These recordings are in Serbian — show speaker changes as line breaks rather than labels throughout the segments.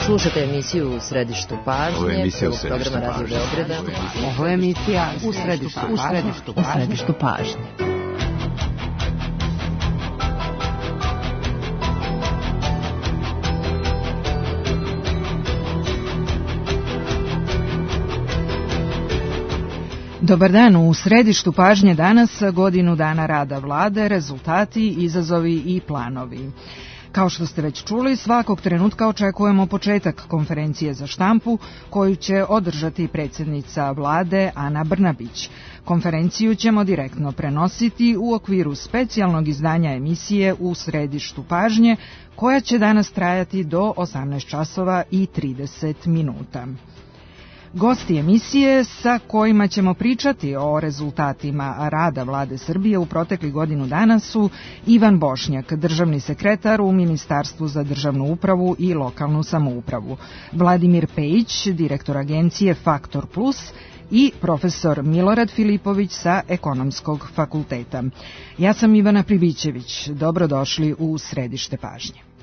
Slušate emisiju U središtu pažnje, programa Radio Beograda.
Ovo je emisija U središtu pažnje. Dobar dan, u središtu pažnje danas godinu dana rada vlade, rezultati, izazovi i planovi. Kao što ste već čuli, svakog trenutka očekujemo početak konferencije za štampu koju će održati predsjednica vlade Ana Brnabić. Konferenciju ćemo direktno prenositi u okviru specijalnog izdanja emisije U središtu pažnje koja će danas trajati do 18 časova i 30 minuta. Gosti emisije sa kojima ćemo pričati o rezultatima rada vlade Srbije u proteklih godinu dana su Ivan Bošnjak, državni sekretar u Ministarstvu za državnu upravu i lokalnu samoupravu, Vladimir Pejić, direktor agencije Faktor Plus i profesor Milorad Filipović sa Ekonomskog fakulteta. Ja sam Ivana Pribićević. Dobrodošli u središte pažnje.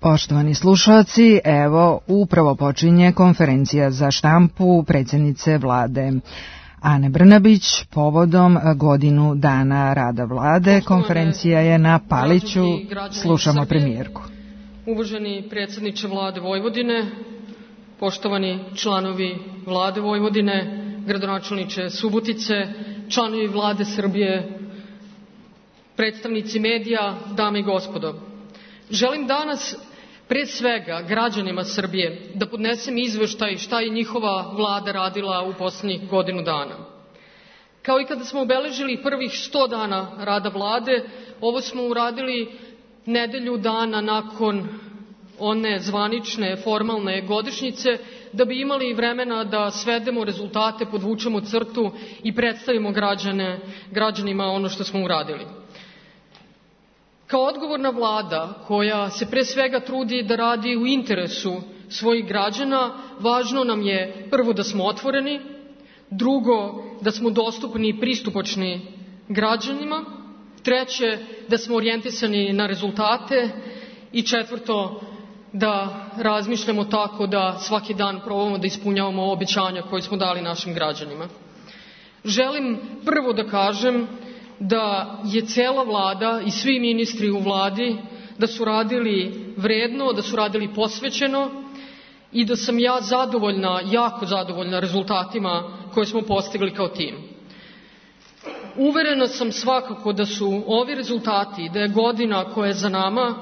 Poštovani slušalci, evo upravo počinje konferencija za štampu predsjednice vlade Ane Brnabić povodom godinu dana rada vlade. Konferencija je na Paliću. Slušamo premijerku.
Uvaženi predsjedniče vlade Vojvodine, poštovani članovi vlade Vojvodine, gradonačelniče Subotice, članovi vlade Srbije, predstavnici medija, dame i gospodo. Želim danas pre svega građanima Srbije da podnesem izveštaj šta je njihova vlada radila u posljednjih godinu dana. Kao i kada smo obeležili prvih 100 dana rada vlade, ovo smo uradili nedelju dana nakon one zvanične, formalne godišnjice, da bi imali vremena da svedemo rezultate, podvučemo crtu i predstavimo građanima ono što smo uradili. Kao odgovorna vlada koja se pre svega trudi da radi u interesu svojih građana, važno nam je prvo da smo otvoreni, drugo da smo dostupni i pristupačni građanima, treće da smo orijentisani na rezultate i četvrto da razmišljamo tako da svaki dan probamo da ispunjavamo obećanja koje smo dali našim građanima. Želim prvo da kažem da je cela vlada i svi ministri u vladi da su radili vredno, da su radili posvećeno i da sam ja zadovoljna, jako zadovoljna rezultatima koje smo postigli kao tim. Uverena sam svakako da su ovi rezultati, da je godina koja je za nama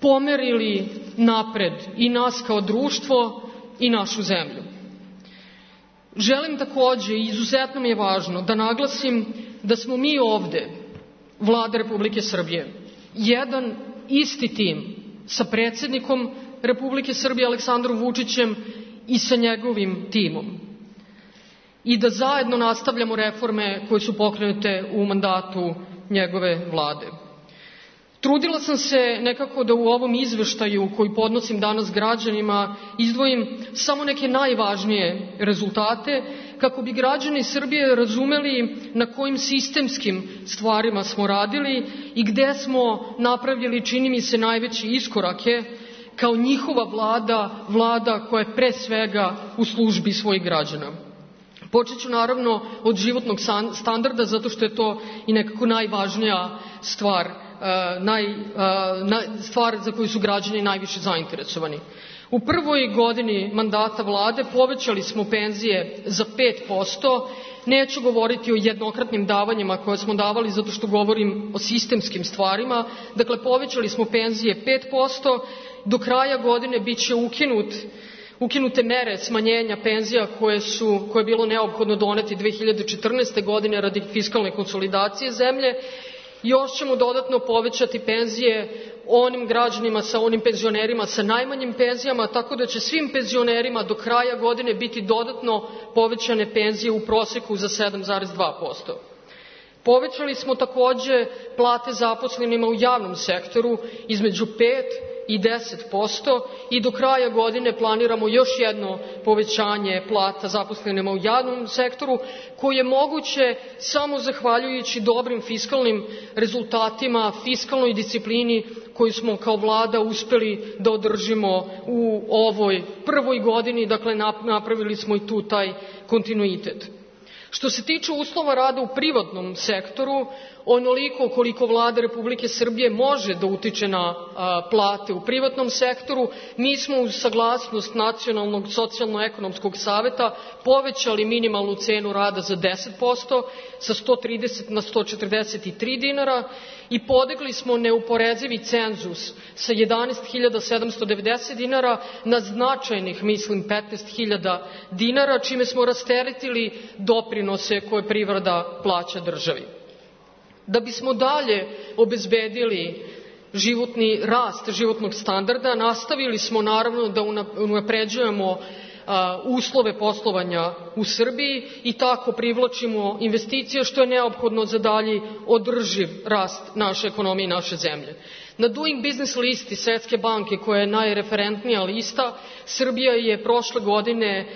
pomerili napred i nas kao društvo i našu zemlju. Želim takođe, i izuzetno mi je važno, da naglasim da smo mi ovde, Vlada Republike Srbije, jedan isti tim sa predsjednikom Republike Srbije Aleksandrom Vučićem i sa njegovim timom. I da zajedno nastavljamo reforme koje su pokrenute u mandatu njegove vlade. Trudila sam se nekako da u ovom izveštaju koji podnosim danas građanima izdvojim samo neke najvažnije rezultate kako bi građani Srbije razumeli na kojim sistemskim stvarima smo radili i gde smo napravili, čini mi se, najveće iskorake kao njihova vlada koja je pre svega u službi svojih građana. Počet ću naravno od životnog standarda, zato što je to i nekako najvažnija stvar, stvar za koju su građani najviše zainteresovani. U prvoj godini mandata vlade povećali smo penzije za 5%, neću govoriti o jednokratnim davanjima koje smo davali zato što govorim o sistemskim stvarima, dakle povećali smo penzije 5%, do kraja godine bit će ukinute mere smanjenja penzija koje je bilo neophodno doneti 2014. godine radi fiskalne konsolidacije zemlje. Još ćemo dodatno povećati penzije onim građanima, onim penzionerima sa najmanjim penzijama, tako da će svim penzionerima do kraja godine biti dodatno povećane penzije u proseku za 7,2%. Povećali smo takođe plate zaposlenima u javnom sektoru između 5 i 10% i do kraja godine planiramo još jedno povećanje plata zaposlenima u javnom sektoru, koje je moguće samo zahvaljujući dobrim fiskalnim rezultatima, fiskalnoj disciplini koju smo kao vlada uspeli da održimo u ovoj prvoj godini, dakle napravili smo i tu taj kontinuitet. Što se tiče uslova rada u privatnom sektoru, onoliko koliko Vlada Republike Srbije može da utiče na plate u privatnom sektoru, mi smo uz saglasnost Nacionalnog socijalno-ekonomskog saveta povećali minimalnu cenu rada za 10%, sa 130 na 143 dinara i podigli smo neuporezivi cenzus sa 11.790 dinara na značajnih, 15.000 dinara, čime smo rasteretili doprinose koje privreda plaća državi. Da bismo dalje obezbedili životni rast životnog standarda, nastavili smo naravno da unapređujemo uslove poslovanja u Srbiji i tako privlačimo investicije, što je neophodno za dalji održiv rast naše ekonomije i naše zemlje. Na Doing Business listi Svetske banke, koja je najreferentnija lista, Srbija je prošle godine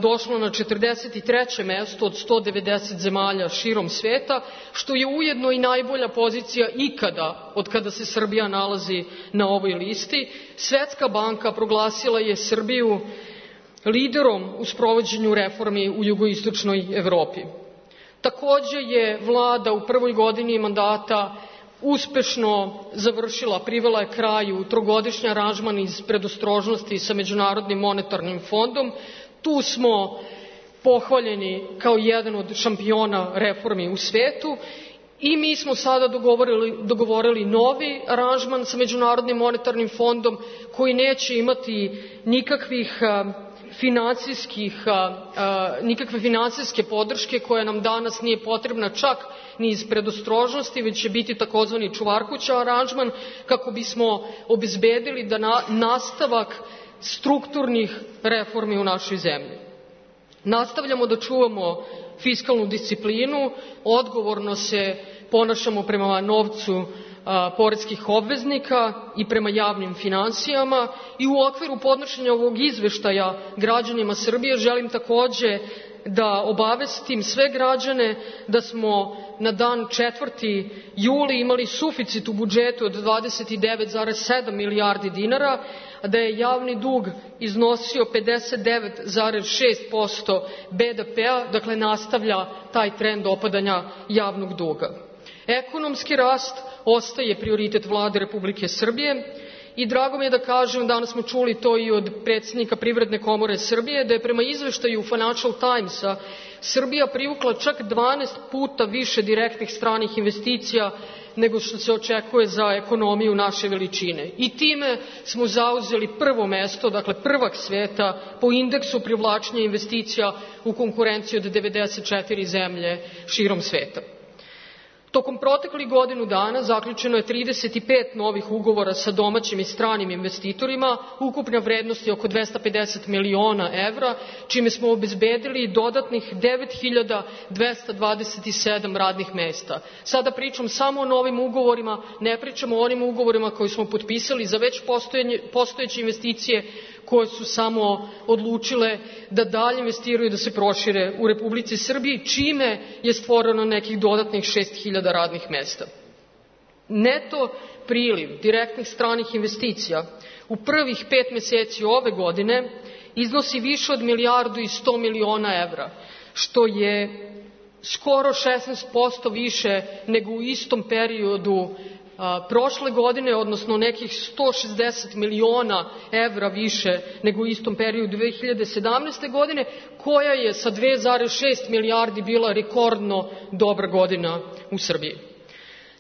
došla na 43. mesto od 190 zemalja širom sveta, što je ujedno i najbolja pozicija ikada od kada se Srbija nalazi na ovoj listi. Svetska banka proglasila je Srbiju liderom u sprovođenju reformi u jugoistočnoj Evropi. Takođe je vlada u prvoj godini mandata uspešno završila, privela je kraju trogodišnji aranžman iz predostrožnosti sa Međunarodnim monetarnim fondom. Tu smo pohvaljeni kao jedan od šampiona reformi u svetu i mi smo sada dogovorili novi aranžman sa Međunarodnim monetarnim fondom koji neće imati nikakve finansijske podrške koja nam danas nije potrebna čak ni iz predostrožnosti, već će biti takozvani čuvarkuća aranžman kako bismo obezbedili da nastavak strukturnih reformi u našoj zemlji. Nastavljamo da čuvamo fiskalnu disciplinu, odgovorno se ponašamo prema novcu poreskih obveznika i prema javnim finansijama i u okviru podnošenja ovog izveštaja građanima Srbije želim takođe da obavestim sve građane da smo na dan 4. juli imali suficit u budžetu od 29,7 milijardi dinara, a da je javni dug iznosio 59,6% BDP-a, dakle nastavlja taj trend opadanja javnog duga. Ekonomski rast ostaje prioritet Vlade Republike Srbije i drago mi je da kažem, danas smo čuli to i od predsednika Privredne komore Srbije, da je prema izveštaju Financial Timesa Srbija privukla čak 12 puta više direktnih stranih investicija nego što se očekuje za ekonomiju naše veličine. I time smo zauzeli prvo mesto, dakle prvak sveta po indeksu privlačenja investicija u konkurenciji od 94 zemlje širom sveta. Tokom proteklih godinu dana zaključeno je 35 novih ugovora sa domaćim i stranim investitorima, ukupna vrednost je oko 250 miliona evra, čime smo obezbedili dodatnih 9.227 radnih mesta. Sada pričam samo o novim ugovorima, ne pričamo o onim ugovorima koji smo potpisali za već postojeće investicije koje su samo odlučile da dalje investiraju i da se prošire u Republici Srbiji, čime je stvoreno nekih dodatnih 6.000 radnih mesta. Neto priliv direktnih stranih investicija u prvih 5 meseci ove godine iznosi više od 1,1 milijardu evra, što je skoro 16% više nego u istom periodu prošle godine, odnosno nekih 160 miliona evra više nego u istom periodu 2017. godine, koja je sa 2,6 milijardi bila rekordno dobra godina u Srbiji.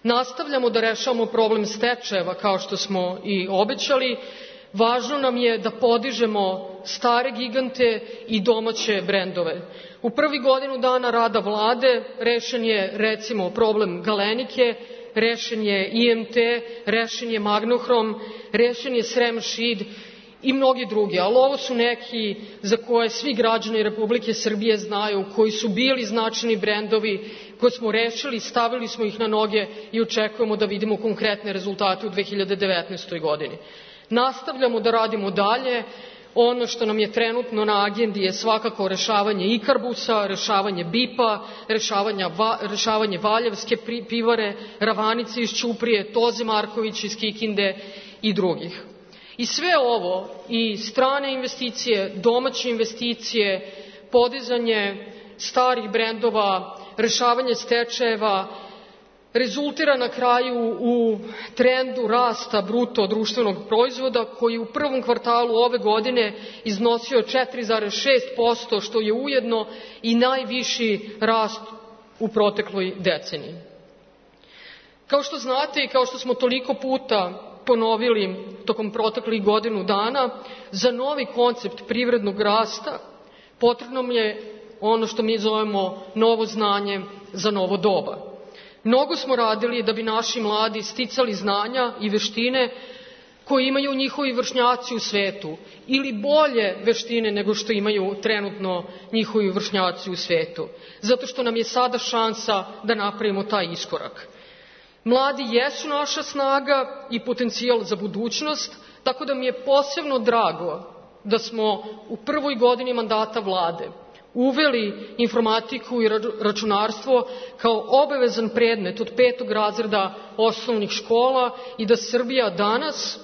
Nastavljamo da rešavamo problem stečajeva kao što smo i obećali. Važno nam je da podižemo stare gigante i domaće brendove. U prvi godinu dana rada vlade rešen je recimo problem Galenike, rešen je IMT, rešen je Magnohrom, rešen je Srem Šid i mnogi drugi, ali ovo su neki za koje svi građani Republike Srbije znaju, koji su bili značajni brendovi, koje smo rešili, stavili smo ih na noge i očekujemo da vidimo konkretne rezultate u 2019. godini. Nastavljamo da radimo dalje. Ono što nam je trenutno na agendi je svakako rešavanje Ikarbusa, rešavanje BIP-a, rešavanje Valjevske pivare, Ravanice iz Ćuprije, Toze Marković iz Kikinde i drugih. I sve ovo, i strane investicije, domaće investicije, podizanje starih brendova, rešavanje stečajeva, rezultira na kraju u trendu rasta bruto društvenog proizvoda koji u prvom kvartalu ove godine iznosio 4,6%, što je ujedno i najviši rast u protekloj deceniji. Kao što znate i kao što smo toliko puta ponovili tokom proteklih godinu dana, za novi koncept privrednog rasta potrebno je ono što mi zovemo novo znanje za novo doba. Mnogo smo radili da bi naši mladi sticali znanja i veštine koje imaju njihovi vršnjaci u svetu ili bolje veštine nego što imaju trenutno njihovi vršnjaci u svetu, zato što nam je sada šansa da napravimo taj iskorak. Mladi jesu naša snaga i potencijal za budućnost, tako da mi je posebno drago da smo u prvoj godini mandata vlade uveli informatiku i računarstvo kao obavezan predmet od 5. razreda osnovnih škola i da Srbija danas,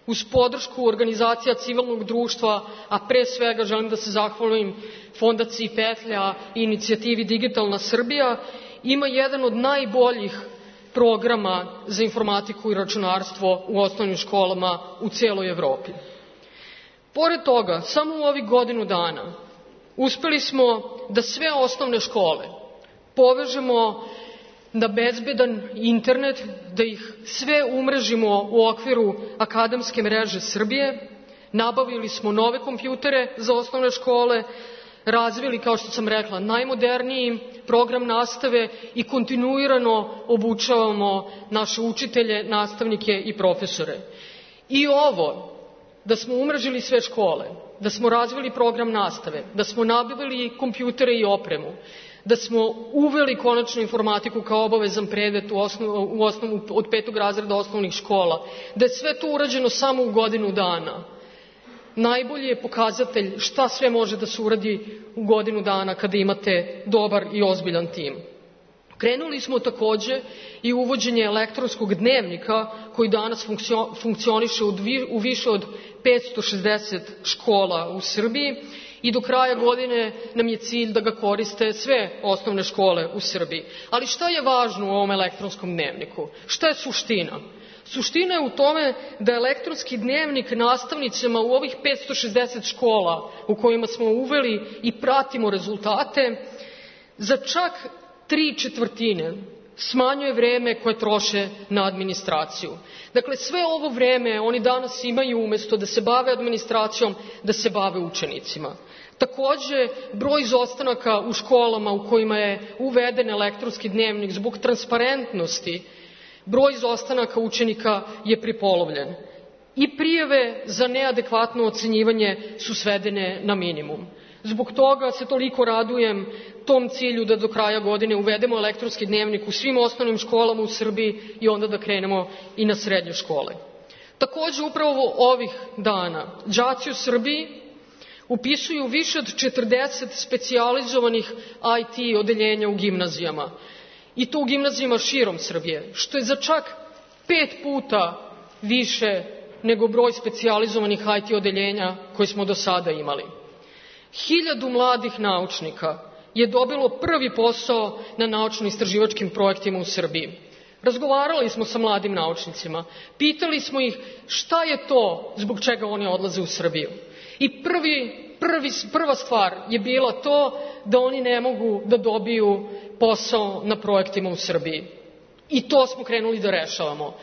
uz podršku organizacija civilnog društva, a pre svega želim da se zahvalim Fondaciji Petlja i inicijativi Digitalna Srbija, ima jedan od najboljih programa za informatiku i računarstvo u osnovnim školama u celoj Evropi. Pored toga, samo u ovih godinu dana uspeli smo da sve osnovne škole povežemo na bezbedan internet, da ih sve umrežimo u okviru akademske mreže Srbije, nabavili smo nove kompjutere za osnovne škole, razvili, kao što sam rekla, najmoderniji program nastave i kontinuirano obučavamo naše učitelje, nastavnike i profesore. I ovo, da smo umrežili sve škole, da smo razvili program nastave, da smo nabavili kompjutere i opremu, da smo uveli konačno informatiku kao obavezan predmet od 5. razreda osnovnih škola, da je sve to urađeno samo u godinu dana. Najbolji je pokazatelj šta sve može da se uradi u godinu dana kada imate dobar i ozbiljan tim. Krenuli smo takođe i uvođenje elektronskog dnevnika koji danas funkcioniše u više od 560 škola u Srbiji i do kraja godine nam je cilj da ga koriste sve osnovne škole u Srbiji. Ali šta je važno u ovom elektronskom dnevniku? Šta je suština? Suština je u tome da elektronski dnevnik nastavnicima u ovih 560 škola u kojima smo uveli i pratimo rezultate za čak 3/4 smanjuje vreme koje troše na administraciju. Dakle, sve ovo vreme oni danas imaju umesto da se bave administracijom, da se bave učenicima. Takođe, broj izostanaka u školama u kojima je uveden elektronski dnevnik zbog transparentnosti, broj izostanaka učenika je prepolovljen. I prijave za neadekvatno ocenjivanje su svedene na minimum. Zbog toga se toliko radujem tom cilju da do kraja godine uvedemo elektronski dnevnik u svim osnovnim školama u Srbiji i onda da krenemo i na srednje škole. Takođe, upravo ovih dana đaci u Srbiji upisuju više od 40 specijalizovanih IT odeljenja u gimnazijama. I to u gimnazijama širom Srbije, što je za čak 5 puta više nego broj specijalizovanih IT odeljenja koje smo do sada imali. 1000 mladih naučnika je dobilo prvi posao na naučno-istraživačkim projektima u Srbiji. Razgovarali smo sa mladim naučnicima, pitali smo ih šta je to zbog čega oni odlaze u Srbiju. I prva stvar je bila to da oni ne mogu da dobiju posao na projektima u Srbiji. I to smo krenuli da rešavamo.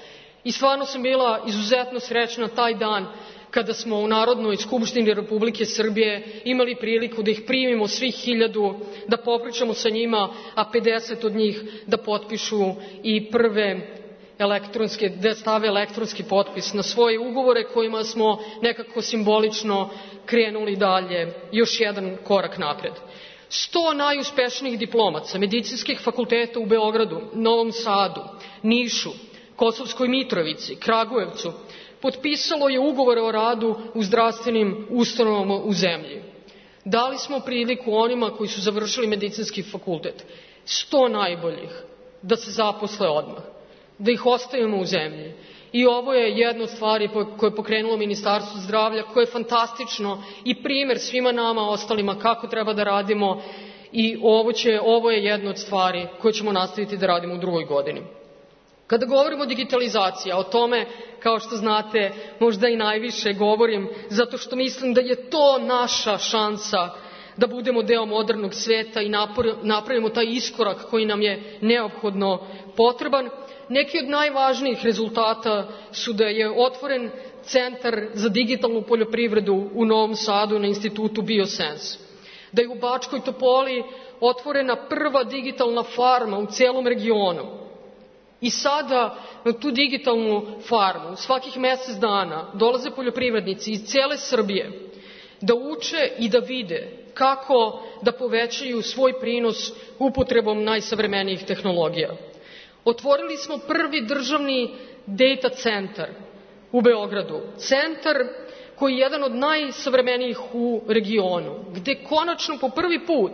I stvarno sam bila izuzetno srećna taj dan kada smo u Narodnoj skupštini Republike Srbije imali priliku da ih primimo svih 1000, da popričamo sa njima, a 50 od njih da potpišu i prve elektronske, da stave elektronski potpis na svoje ugovore kojima smo nekako simbolično krenuli dalje, još jedan korak napred. 100 najuspešnijih diplomaca medicinskih fakulteta u Beogradu, Novom Sadu, Nišu, Kosovskoj Mitrovici, Kragujevcu potpisalo je ugovore o radu u zdravstvenim ustanovama u zemlji. Dali smo priliku onima koji su završili medicinski fakultet, 100 najboljih, da se zaposle odmah, da ih ostavimo u zemlji. I ovo je jedna od stvari koje je pokrenulo Ministarstvo zdravlja, koje je fantastično i primer svima nama ostalima kako treba da radimo i ovo je jedna od stvari koje ćemo nastaviti da radimo u drugoj godini. Kada govorimo o digitalizaciji, a o tome, kao što znate, možda i najviše govorim, zato što mislim da je to naša šansa da budemo deo modernog sveta i napravimo taj iskorak koji nam je neophodno potreban. Neki od najvažnijih rezultata su da je otvoren Centar za digitalnu poljoprivredu u Novom Sadu na institutu Biosense, da je u Bačkoj Topoli otvorena prva digitalna farma u celom regionu. I sada na tu digitalnu farmu svakih mesec dana dolaze poljoprivrednici iz cele Srbije da uče i da vide kako da povećaju svoj prinos upotrebom najsavremenijih tehnologija. Otvorili smo prvi državni data centar u Beogradu. Centar koji je jedan od najsavremenijih u regionu, gde konačno po prvi put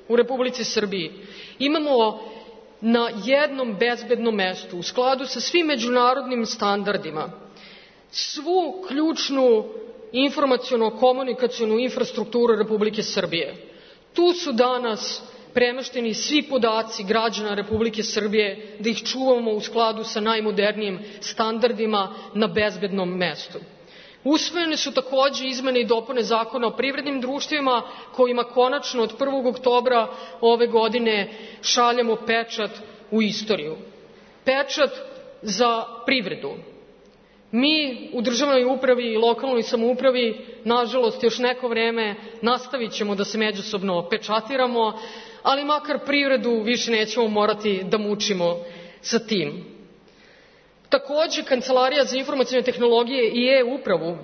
u Republici Srbiji imamo na jednom bezbednom mestu, u skladu sa svim međunarodnim standardima, svu ključnu informaciono-komunikacionu infrastrukturu Republike Srbije. Tu su danas premešteni svi podaci građana Republike Srbije, da ih čuvamo u skladu sa najmodernijim standardima na bezbednom mestu. Usvojene su takođe izmene i dopune Zakona o privrednim društvima, kojima konačno od 1. oktobra ove godine šaljemo pečat u istoriju. Pečat za privredu. Mi u državnoj upravi i lokalnoj samoupravi, nažalost, još neko vreme nastavit ćemo da se međusobno pečatiramo, ali makar privredu više nećemo morati da mučimo sa tim. Takođe, Kancelarija za informacione tehnologije i e-upravu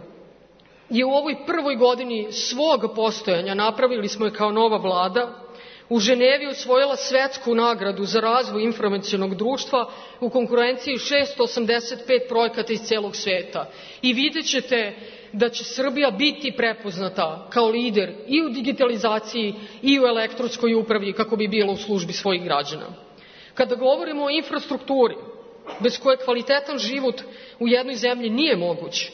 je u ovoj prvoj godini svog postojanja, napravili smo je kao nova vlada, u Ženevi osvojila svetsku nagradu za razvoj informacionog društva u konkurenciji 685 projekata iz celog sveta. I vidjet ćete da će Srbija biti prepoznata kao lider i u digitalizaciji i u elektronskoj upravi kako bi bila u službi svojih građana. Kada govorimo o infrastrukturi, bez koje kvalitetan život u jednoj zemlji nije moguć,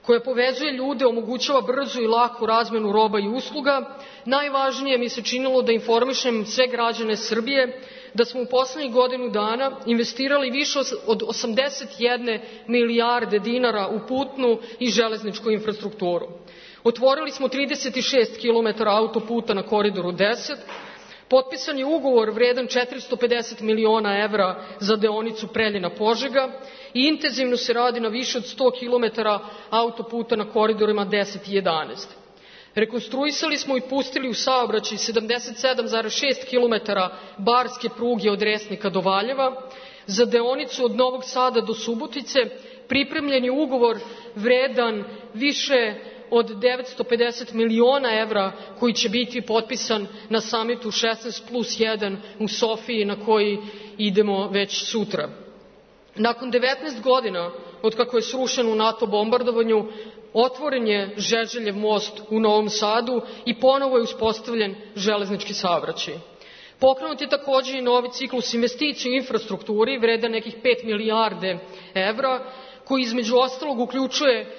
koja povezuje ljude, omogućava brzu i laku razmenu roba i usluga, najvažnije mi se činilo da informišem sve građane Srbije da smo u poslednjih godinu dana investirali više od 81 milijarde dinara u putnu i železničku infrastrukturu. Otvorili smo 36 km autoputa na Koridoru 10, potpisan je ugovor vredan 450 miliona evra za deonicu Preljina-Požega i intenzivno se radi na više od 100 km autoputa na koridorima 10 i 11. Rekonstruisali smo i pustili u saobraćaj 77,6 km barske pruge od Resnika do Valjeva. Za deonicu od Novog Sada do Subotice pripremljen je ugovor vredan više od 950 miliona evra koji će biti potpisan na samitu 16+1 u Sofiji na koji idemo već sutra. Nakon 19 godina od kako je srušen u NATO bombardovanju, otvoren je Žeželjev most u Novom Sadu i ponovo je uspostavljen železnički saobraćaj. Pokrenut je takođe i novi ciklus investicija u infrastrukturi vredan nekih 5 milijarde evra, koji između ostalog uključuje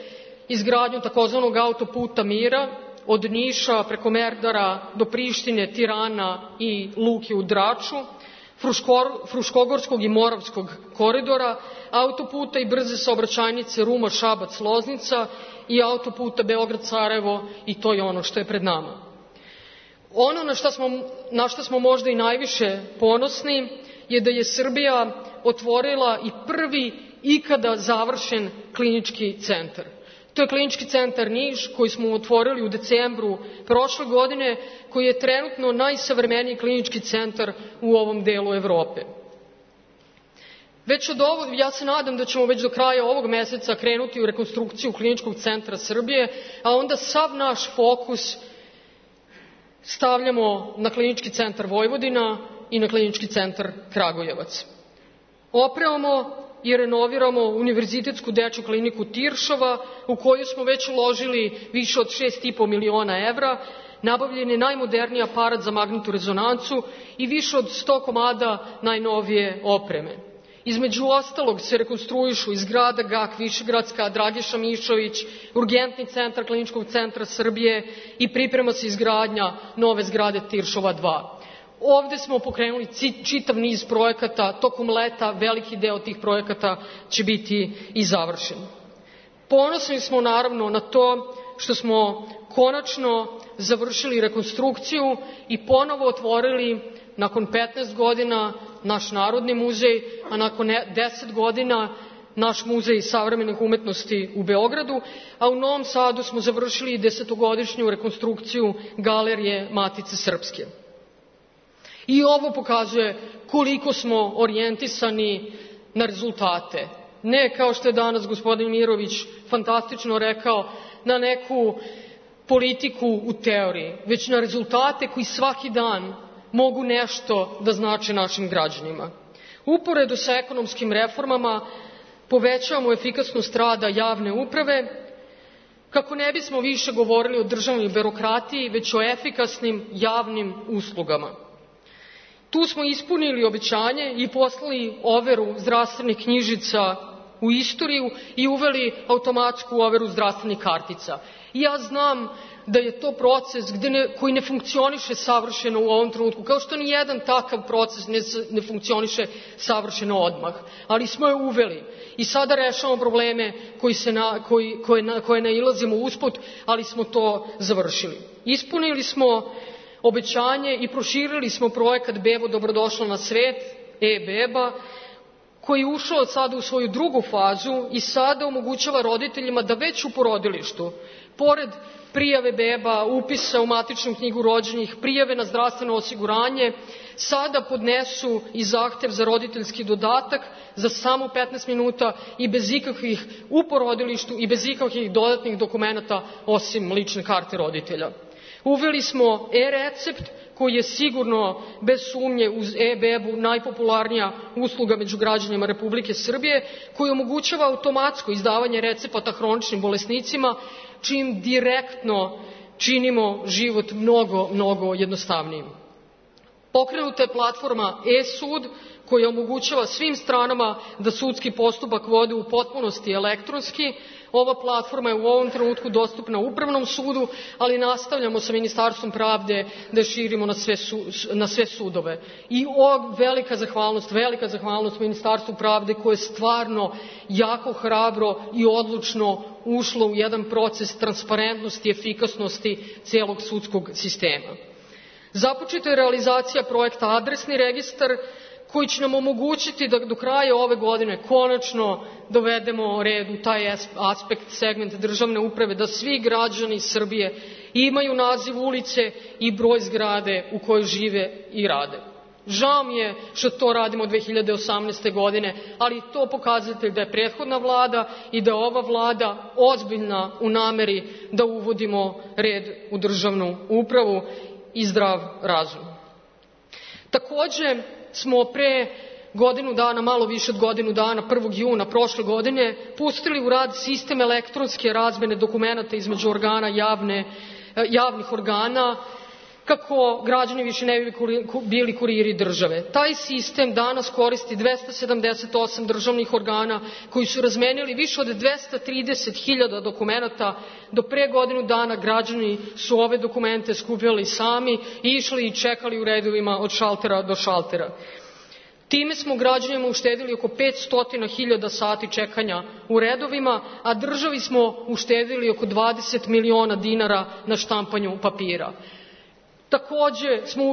izgradnju takozvanog autoputa mira od Niša preko Merdara do Prištine, Tirana i luke u Draču, Fruškogorskog i Moravskog koridora, autoputa i brze saobraćajnice Ruma-Šabac-Loznica i autoputa Beograd-Sarajevo, i to je ono što je pred nama. Ono na što smo možda i najviše ponosni je da je Srbija otvorila i prvi ikada završen klinički centar. To je Klinički centar Niš koji smo otvorili u decembru prošle godine, koji je trenutno najsavremeniji klinički centar u ovom delu Evrope. Ja se nadam da ćemo već do kraja ovog meseca krenuti u rekonstrukciju Kliničkog centra Srbije, a onda sav naš fokus stavljamo na Klinički centar Vojvodina i na Klinički centar Kragujevac. Opremamo i renoviramo Univerzitetsku dečju kliniku Tiršova, u koju smo već uložili više od 6,5 miliona evra, nabavljen je najmoderniji aparat za magnetnu rezonancu i više od 100 komada najnovije opreme. Između ostalog se rekonstruišu i zgrada GAK Višegradska, Dragiša Mišović, urgentni centar Kliničkog centra Srbije i priprema se izgradnja nove zgrade Tiršova 2. Ovde smo pokrenuli čitav niz projekata, tokom leta veliki deo tih projekata će biti i završen. Ponosni smo naravno na to što smo konačno završili rekonstrukciju i ponovo otvorili nakon 15 godina naš Narodni muzej, a nakon 10 godina naš Muzej savremenih umetnosti u Beogradu, a u Novom Sadu smo završili 10-godišnju rekonstrukciju Galerije Matice Srpske. I ovo pokazuje koliko smo orijentisani na rezultate. Ne, kao što je danas gospodin Mirović fantastično rekao, na neku politiku u teoriji, već na rezultate koji svaki dan mogu nešto da znače našim građanima. Uporedo sa ekonomskim reformama povećavamo efikasnost rada javne uprave, kako ne bismo više govorili o državnoj birokratiji, već o efikasnim javnim uslugama. Tu smo ispunili obećanje i poslali overu zdravstvenih knjižica u istoriju i uveli automatsku overu zdravstvenih kartica. Ja znam da je to proces koji ne funkcioniše savršeno u ovom trenutku, kao što ni jedan takav proces ne funkcioniše savršeno odmah, ali smo je uveli i sada rešavamo probleme koje nailazimo usput, ali smo to završili. Ispunili smo obećanje i proširili smo projekat Bebo dobrodošla na svet, e-beba, koji je ušao sada u svoju drugu fazu i sada omogućava roditeljima da već u porodilištu, pored prijave beba, upisa u matičnu knjigu rođenih, prijave na zdravstveno osiguranje, sada podnesu i zahtev za roditeljski dodatak za samo 15 minuta i bez ikakvih u porodilištu i bez ikakvih dodatnih dokumenata osim lične karte roditelja. Uveli smo e-recept koji je sigurno, bez sumnje, uz e-bebu najpopularnija usluga među građanima Republike Srbije, koji omogućava automatsko izdavanje recepata hroničnim bolesnicima, čim direktno činimo život mnogo jednostavnijim. Pokrenuta je platforma e-sud koja omogućava svim stranama da sudski postupak vode u potpunosti elektronski. Ova platforma je u ovom trenutku dostupna Upravnom sudu, ali nastavljamo sa Ministarstvom pravde da je širimo na sve sudove. I velika zahvalnost Ministarstvu pravde koje je stvarno jako hrabro i odlučno ušlo u jedan proces transparentnosti i efikasnosti celog sudskog sistema. Započeta je realizacija projekta Adresni registar, koji će nam omogućiti da do kraja ove godine konačno dovedemo red u taj aspekt, segment državne uprave, da svi građani Srbije imaju naziv ulice i broj zgrade u kojoj žive i rade. Žao mi je što to radimo 2018. godine, ali to pokazatelj da je prethodna vlada i da je ova vlada ozbiljna u nameri da uvodimo red u državnu upravu i zdrav razum. Takođe smo pre godinu dana, malo više od godinu dana, 1. juna prošle godine, pustili u rad sistem elektronske razmene dokumenata između javnih organa, kako građani više ne bi bili kuriri države. Taj sistem danas koristi 278 državnih organa koji su razmenili više od 230.000 dokumenata. Do pre godinu dana građani su ove dokumente skupljali sami i išli i čekali u redovima od šaltera do šaltera. Time smo građanima uštedili oko 500.000 sati čekanja u redovima, a državi smo uštedili oko 20 miliona dinara na štampanju papira. Takođe smo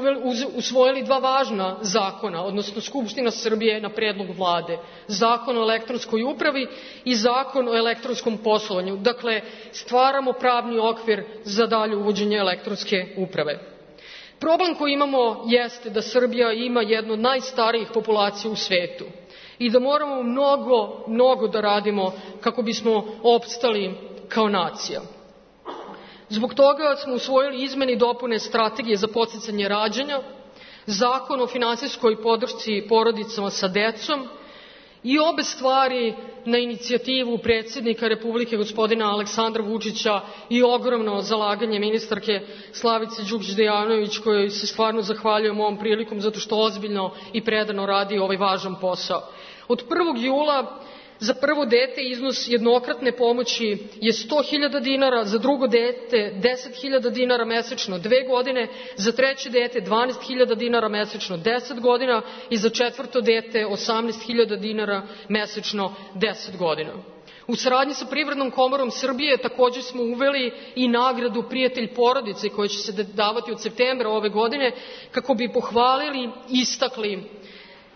usvojili dva važna zakona, odnosno Skupština Srbije na predlog vlade. Zakon o elektronskoj upravi i zakon o elektronskom poslovanju. Dakle, stvaramo pravni okvir za dalje uvođenje elektronske uprave. Problem koji imamo jeste da Srbija ima jednu od najstarijih populacija u svetu i da moramo mnogo da radimo kako bismo opstali kao nacija. Zbog toga smo usvojili izmene i dopune strategije za podsticanje rađanja, zakon o finansijskoj podršci porodicama sa decom i obe stvari na inicijativu predsjednika Republike gospodina Aleksandra Vučića i ogromno zalaganje ministarke Slavice Đukić Dejanović, kojoj se stvarno zahvaljujem ovom prilikom zato što ozbiljno i predano radi ovaj važan posao. Od 1. jula za prvo dete iznos jednokratne pomoći je 100.000 dinara, za drugo dete 10.000 dinara mesečno 2 godine, za treće dete 12.000 dinara mesečno 10 godina i za četvrto dete 18.000 dinara mesečno 10 godina. U saradnji sa Privrednom komorom Srbije takođe smo uveli i nagradu Prijatelj porodice koja će se davati od septembra ove godine kako bi pohvalili, istakli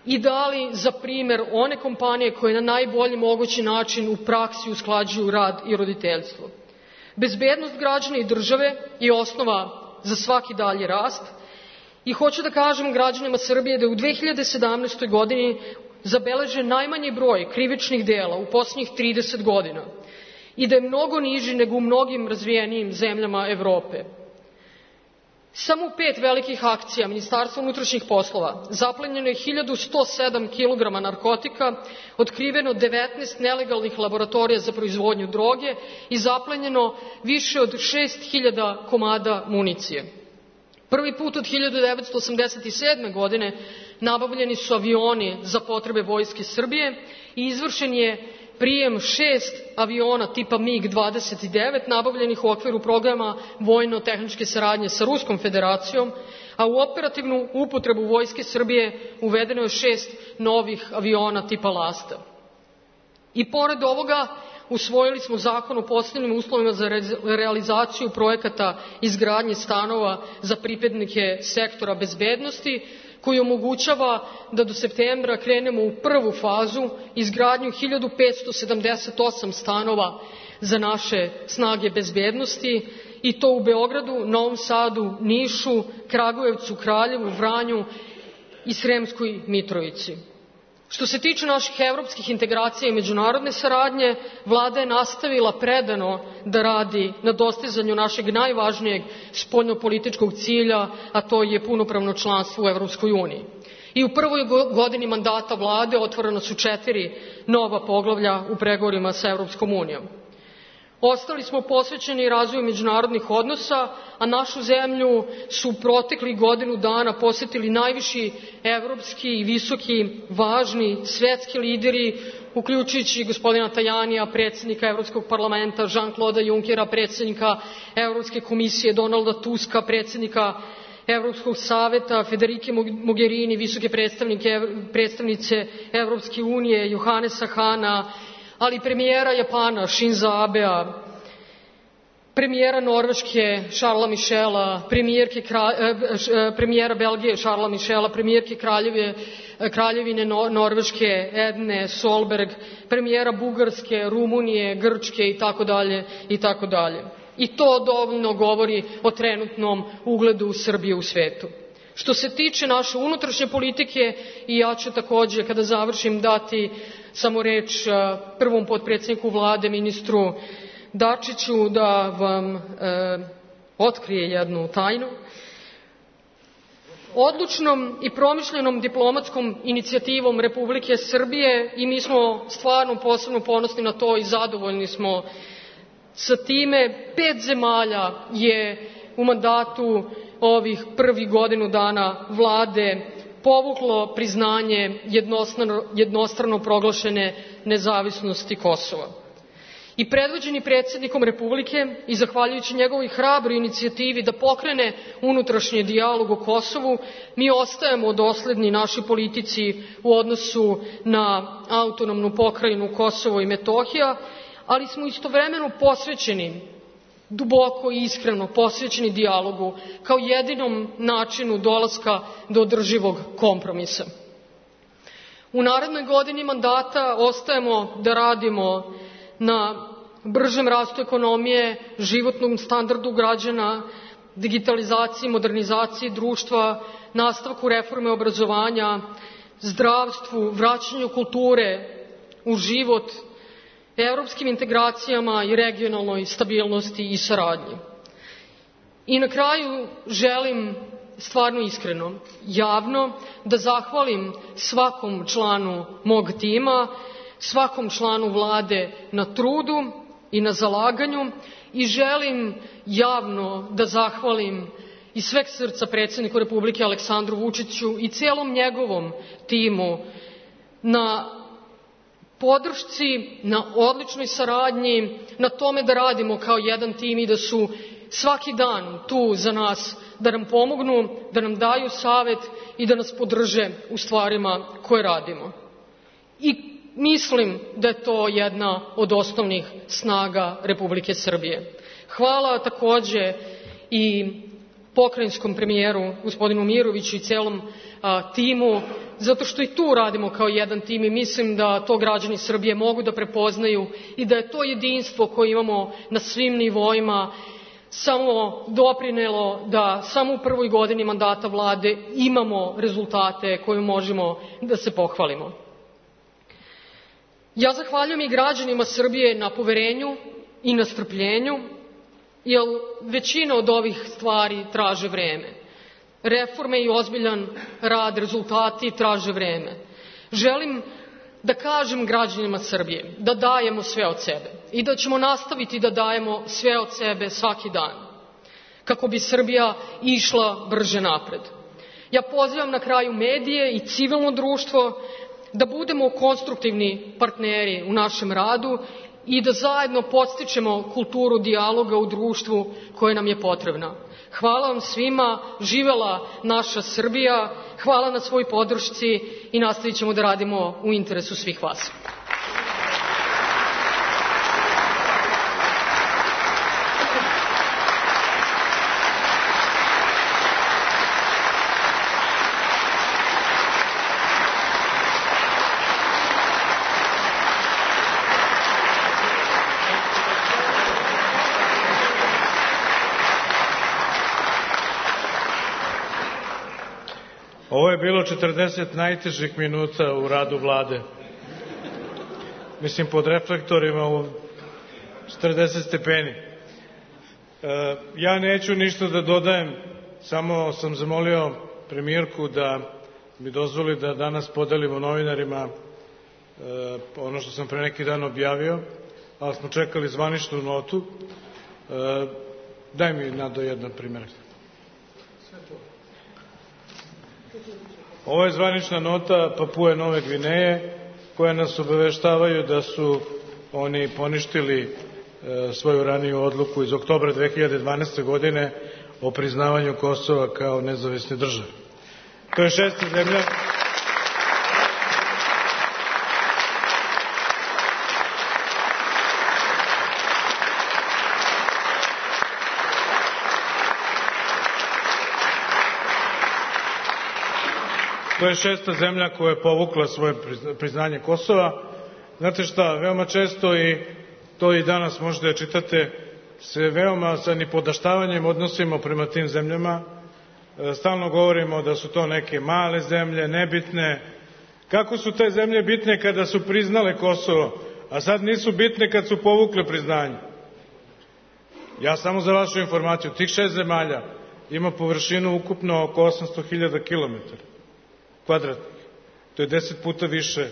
i dali za primer one kompanije koje na najbolji mogući način u praksi usklađuju rad i roditeljstvo. Bezbednost građana i države je osnova za svaki dalji rast i hoću da kažem građanima Srbije da je u 2017. godini zabeležen najmanji broj krivičnih dela u poslednjih 30 godina i da je mnogo niži nego u mnogim razvijenijim zemljama Evrope. Samo u 5 velikih akcija Ministarstva unutrašnjih poslova zaplenjeno je 1107 kg narkotika, otkriveno 19 nelegalnih laboratorija za proizvodnju droge i zaplenjeno više od 6.000 komada municije. Prvi put od 1987. godine nabavljeni su avioni za potrebe Vojske Srbije i izvršen je prijem 6 aviona tipa MiG-29 nabavljenih u okviru programa vojno-tehničke saradnje sa Ruskom federacijom, a u operativnu upotrebu Vojske Srbije uvedeno je 6 novih aviona tipa Lasta. I pored ovoga usvojili smo zakon o posebnim uslovima za realizaciju projekata izgradnje stanova za pripadnike sektora bezbednosti, koji omogućava da do septembra krenemo u prvu fazu izgradnju 1578 stanova za naše snage bezbednosti i to u Beogradu, Novom Sadu, Nišu, Kragujevcu, Kraljevu, Vranju i Sremskoj Mitrovici. Što se tiče naših evropskih integracija i međunarodne saradnje, Vlada je nastavila predano da radi na dostizanju našeg najvažnijeg spoljnopolitičkog cilja, a to je punopravno članstvo u Evropskoj uniji. I u prvoj godini mandata Vlade otvorena su 4 nova poglavlja u pregovorima sa Evropskom unijom. Ostali smo posvećeni razvoju međunarodnih odnosa, a našu zemlju su proteklih godinu dana posetili najviši evropski i visoki, važni svetski lideri, uključujući gospodina Tajanija, predsjednika Evropskog parlamenta, Jean-Claude Junckera, predsjednika Evropske komisije, Donalda Tuska, predsjednika Evropskog saveta, Federike Mogherini, visoke predstavnice Evropske unije, Johannesa Hana, ali premijera Japana Shinza Abea, premijera Norveške Charlesa Michela, premijera Belgije Charlesa Michela, premijerke Kraljevine Norveške Edne Solberg, premijera Bugarske, Rumunije, Grčke itd. I to dovoljno govori o trenutnom ugledu Srbije u svetu. Što se tiče naše unutrašnje politike, i ja ću takođe kada završim dati samo reč prvom potpredsjedniku Vlade, ministru Dačiću, da vam otkrije jednu tajnu. Odlučnom i promišljenom diplomatskom inicijativom Republike Srbije, i mi smo stvarno posebno ponosni na to i zadovoljni smo sa time, 5 zemalja je u mandatu ovih prvih godinu dana vlade povuklo priznanje jednostrano proglašene nezavisnosti Kosova. I predvođeni predsjednikom Republike i zahvaljujući njegovoj hrabroj inicijativi da pokrene unutrašnji dijalog o Kosovu, mi ostajemo dosledni našoj politici u odnosu na autonomnu pokrajinu Kosovo i Metohija, ali smo istovremeno posvećeni, duboko i iskreno posvećeni dijalogu kao jedinom načinu dolaska do održivog kompromisa. U narednoj godini mandata ostajemo da radimo na bržem rastu ekonomije, životnom standardu građana, digitalizaciji, modernizaciji društva, nastavku reforme obrazovanja, zdravstvu, vraćanju kulture u život, evropskim integracijama i regionalnoj stabilnosti i saradnji. I na kraju želim stvarno iskreno, javno da zahvalim svakom članu mog tima, svakom članu vlade na trudu i na zalaganju i želim javno da zahvalim iz sveg srca predsjedniku Republike Aleksandru Vučiću i celom njegovom timu na podršci, na odličnoj saradnji, na tome da radimo kao jedan tim i da su svaki dan tu za nas, da nam pomognu, da nam daju savet i da nas podrže u stvarima koje radimo. I mislim da je to jedna od osnovnih snaga Republike Srbije. Hvala takođe i pokrajinskom premijeru gospodinu Miroviću i celom timu, zato što i tu radimo kao jedan tim i mislim da to građani Srbije mogu da prepoznaju i da je to jedinstvo koje imamo na svim nivoima samo doprinelo da samo u prvoj godini mandata vlade imamo rezultate koje možemo da se pohvalimo. Ja zahvaljujem i građanima Srbije na poverenju i na strpljenju, jer većina od ovih stvari traže vreme. Reforme i ozbiljan rad, rezultati traže vreme. Želim da kažem građanima Srbije da dajemo sve od sebe i da ćemo nastaviti da dajemo sve od sebe svaki dan, kako bi Srbija išla brže napred. Ja pozivam na kraju medije i civilno društvo da budemo konstruktivni partneri u našem radu i da zajedno podstičemo kulturu dijaloga u društvu koje nam je potrebna. Hvala vam svima, živela naša Srbija, hvala na svoj podršci i nastavit ćemo da radimo u interesu svih vas.
Ovo je bilo 40 najtežih minuta u radu vlade. Mislim, pod reflektorima u 40 stepeni. Ja neću ništa da dodajem, samo sam zamolio premijerku da mi dozvoli da danas podelimo novinarima ono što sam pre neki dan objavio, ali smo čekali zvaničnu notu. Daj mi, Nado, jedan primjerak. Ovo je zvanična nota Papue Nove Gvineje, koja nas obaveštavaju da su oni poništili svoju raniju odluku iz oktobra 2012. godine o priznavanju Kosova kao nezavisne države. To je šesta zemlja To je šesta zemlja koja je povukla svoje priznanje Kosova. Znate šta, veoma često, i to i danas možete da čitate, se veoma sa nipodaštavanjem odnosimo prema tim zemljama. Stalno govorimo da su to neke male zemlje, nebitne. Kako su te zemlje bitne kada su priznale Kosovo, a sad nisu bitne kad su povukle priznanje? Ja samo za vašu informaciju, tih 6 zemalja ima površinu ukupno oko 800.000 kilometara kvadratnih. To je 10 puta više,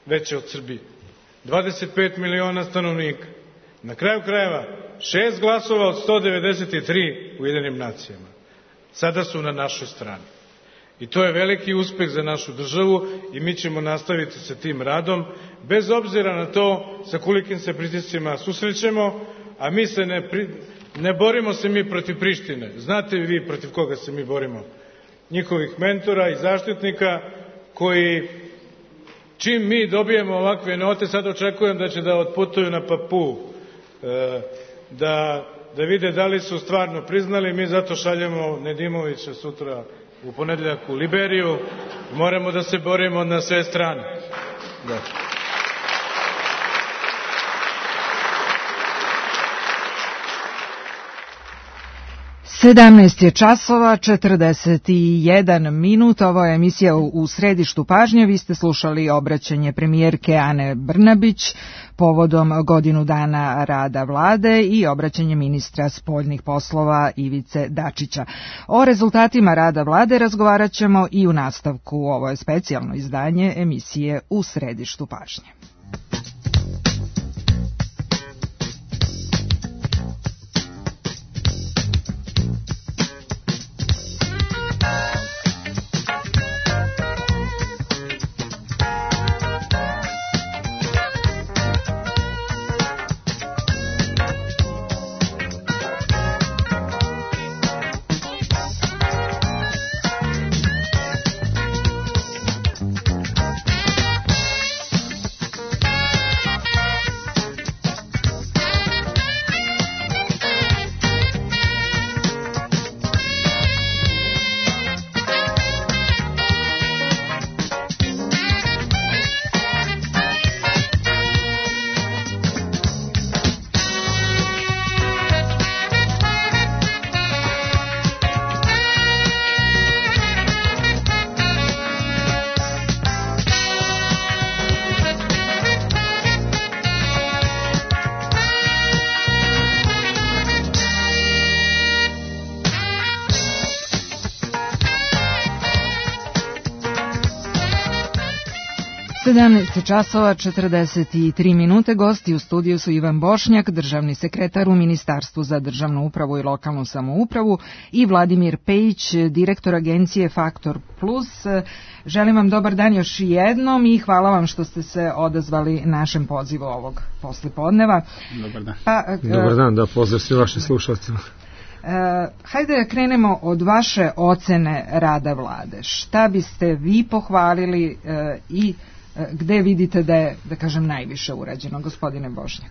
veće od Srbije. 25 miliona stanovnika. Na kraju krajeva, 6 glasova od 193 u Ujedinjenim nacijama. sada su na našoj strani. I to je veliki uspeh za našu državu i mi ćemo nastaviti sa tim radom, bez obzira na to sa kolikim se pritiscima susrećemo, a mi se ne borimo se mi protiv Prištine. Znate vi protiv koga se mi borimo? Njihovih mentora i zaštitnika koji, čim mi dobijemo ovakve note, sad očekujem da će da otputuju na Papuu, da vide da li su stvarno priznali. Mi zato šaljemo Nedimovića sutra u ponedeljak u Liberiju. Moramo da se borimo na sve strane. Da.
Sedamnaest je časova, 41 minut. Ovo je emisija u središtu pažnje. Vi ste slušali obraćanje premijerke Ane Brnabić povodom godinu dana rada vlade i obraćanje ministra spoljnih poslova Ivice Dačića. O rezultatima rada vlade razgovarat ćemo i u nastavku. Ovo je specijalno izdanje emisije u središtu pažnje. Časova 43 minute. Gosti u studiju su Ivan Bošnjak, državni sekretar u Ministarstvu za državnu upravu i lokalnu samoupravu, i Vladimir Pejić, direktor agencije Faktor Plus. Želim vam dobar dan još jednom i hvala vam što ste se odazvali našem pozivu ovog poslijepodneva.
Dobar dan. Dobar dan, da, pozdrav svi vaši slušalcima.
Hajde da krenemo od vaše ocene rada vlade. Šta biste vi pohvalili i gde vidite da je, da kažem, najviše urađeno, gospodine Bošnjak?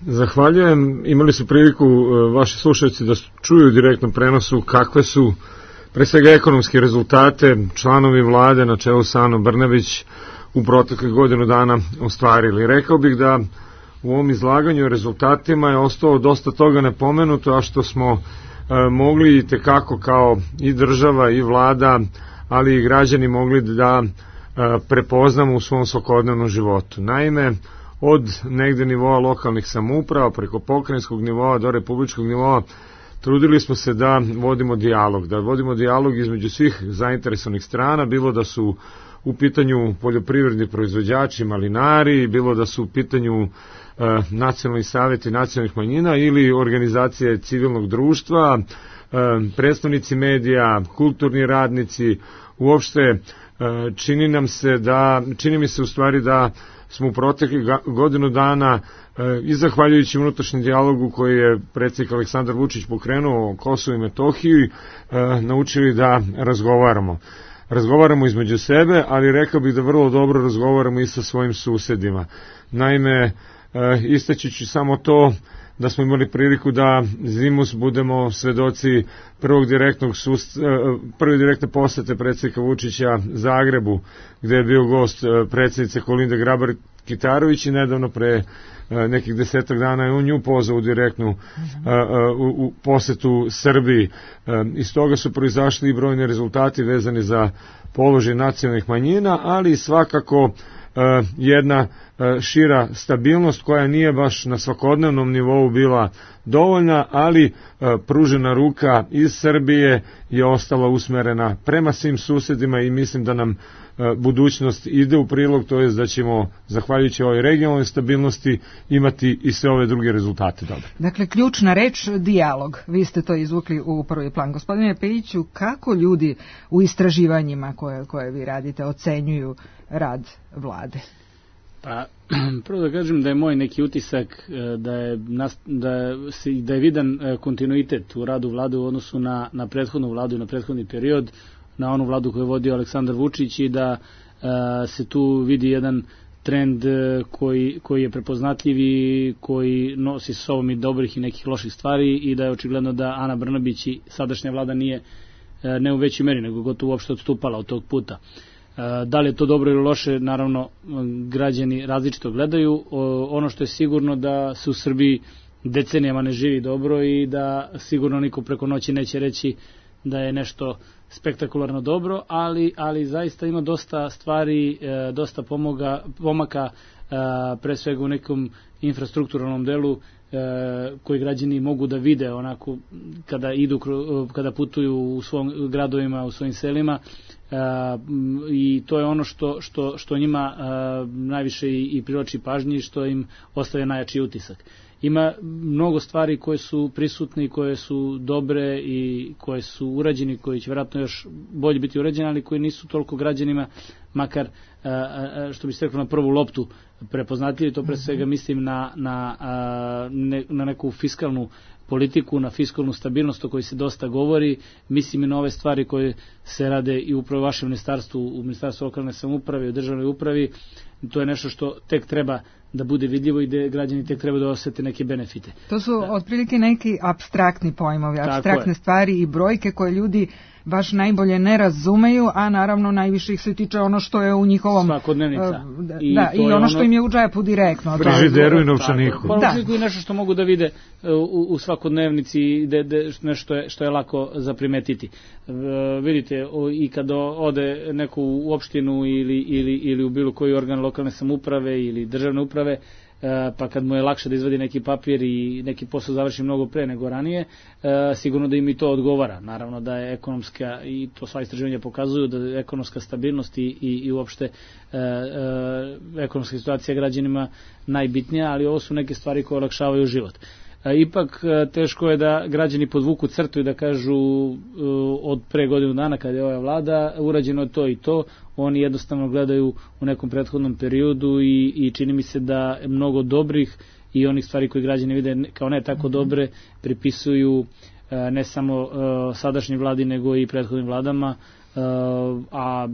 Zahvaljujem. Imali su priliku vaši slušalci da čuju u direktnom prenosu kakve su pre svega ekonomske rezultate članovi vlade na čelu sa Anom Brnabić u proteklih godinu dana ostvarili. Rekao bih da u ovom izlaganju o rezultatima je ostalo dosta toga nepomenuto, a što smo mogli i tekako kao i država i vlada, ali i građani mogli da prepoznamo u svom svakodnevnom životu. Naime, od negde nivoa lokalnih samouprava preko pokrajinskog nivoa do republičkog nivoa trudili smo se da vodimo dijalog između svih zainteresovanih strana, bilo da su u pitanju poljoprivredni proizvođači, malinari, bilo da su u pitanju nacionalni savjeti nacionalnih manjina ili organizacije civilnog društva, predstavnici medija, kulturni radnici. Uopšte čini mi se u stvari da smo u proteklih godinu dana i zahvaljujući unutrašnjem dijalogu koji je predsjednik Aleksandar Vučić pokrenuo o Kosovu i Metohiji naučili da razgovaramo između sebe, ali rekao bih da vrlo dobro razgovaramo i sa svojim susedima. Naime, istaći samo to da smo imali priliku da zimus budemo svedoci prve direktne posete predsjednika Vučića Zagrebu, gde je bio gost predsjednice Kolinde Grabar-Kitarović i nedavno pre nekih 10 dana je on nju pozvao u direktnu u posetu Srbiji. Iz toga su proizašli i brojni rezultati vezani za položaj nacionalnih manjina, ali i svakako jedna šira stabilnost koja nije baš na svakodnevnom nivou bila dovoljna, ali pružena ruka iz Srbije je ostala usmerena prema svim susedima i mislim da nam budućnost ide u prilog, to je da ćemo, zahvaljujući ovoj regionalnoj stabilnosti, imati i sve ove druge rezultate dobre.
Dakle, ključna reč, dijalog. Vi ste to izvukli u prvi plan. Gospodine Pejiću, kako ljudi u istraživanjima koje vi radite ocenjuju rad vlade?
Pa, prvo da kažem da je moj neki utisak da je vidan kontinuitet u radu vlade u odnosu na prethodnu vladu i na prethodni period, na onu vladu koju je vodio Aleksandar Vučić i da se tu vidi jedan trend koji je prepoznatljiv i koji nosi sa sobom i dobrih i nekih loših stvari i da je očigledno da Ana Brnabić i sadašnja vlada nije ne u većoj meri, nego gotovo uopšte odstupala od tog puta. Da li je to dobro ili loše, naravno građani različito gledaju. Ono što je sigurno da se u Srbiji decenijama ne živi dobro i da sigurno niko preko noći neće reći da je nešto spektakularno dobro, ali zaista ima dosta stvari, dosta pomaka, pre svega u nekom infrastrukturalnom delu koji građani mogu da vide onako kada putuju u svojim gradovima, u svojim selima, i to je ono što njima najviše i privlači pažnji, što im ostavlja najjači utisak. Ima mnogo stvari koje su prisutne i koje su dobre i koje su urađene, koji će vjerojatno još bolje biti urađene, ali koji nisu toliko građanima, makar, što bi se reklo, na prvu loptu prepoznatljivi. To pre svega mislim na neku fiskalnu politiku, na fiskalnu stabilnost o kojoj se dosta govori. Mislim i na ove stvari koje se rade i upravo u vašem ministarstvu, u Ministarstvu lokalne samouprave i u državnoj upravi. To je nešto što tek treba da bude vidljivo i da građani tek treba da osete neke benefite.
To su otprilike neki apstraktni pojmovi, apstraktne stvari i brojke koje ljudi baš najbolje ne razumeju, a naravno najviše ih se tiče ono što je u njihovom
svakodnevnica.
I ono što im je u džepu direktno.
Frižideru i novčaniku.
Pa i nešto što mogu da vide u svakodnevnici, nešto što je lako zaprimetiti. Vidite, i kad ode neko u opštinu ili u bilo koji organ lokalne samouprave ili državne uprave, pa kad mu je lakše da izvadi neki papir i neki posao završi mnogo pre nego ranije, sigurno da im i to odgovara. Naravno da je ekonomska, i to sva istraživanja pokazuju, da je ekonomska stabilnost i uopšte ekonomska situacija građanima najbitnija, ali ovo su neke stvari koje olakšavaju život. Ipak teško je da građani podvuku crtu i da kažu od pre godinu dana kada je ova vlada urađeno je to i to. Oni jednostavno gledaju u nekom prethodnom periodu i čini mi se da mnogo dobrih i onih stvari koje građani vide kao ne tako dobre pripisuju ne samo sadašnjoj vladi nego i prethodnim vladama, a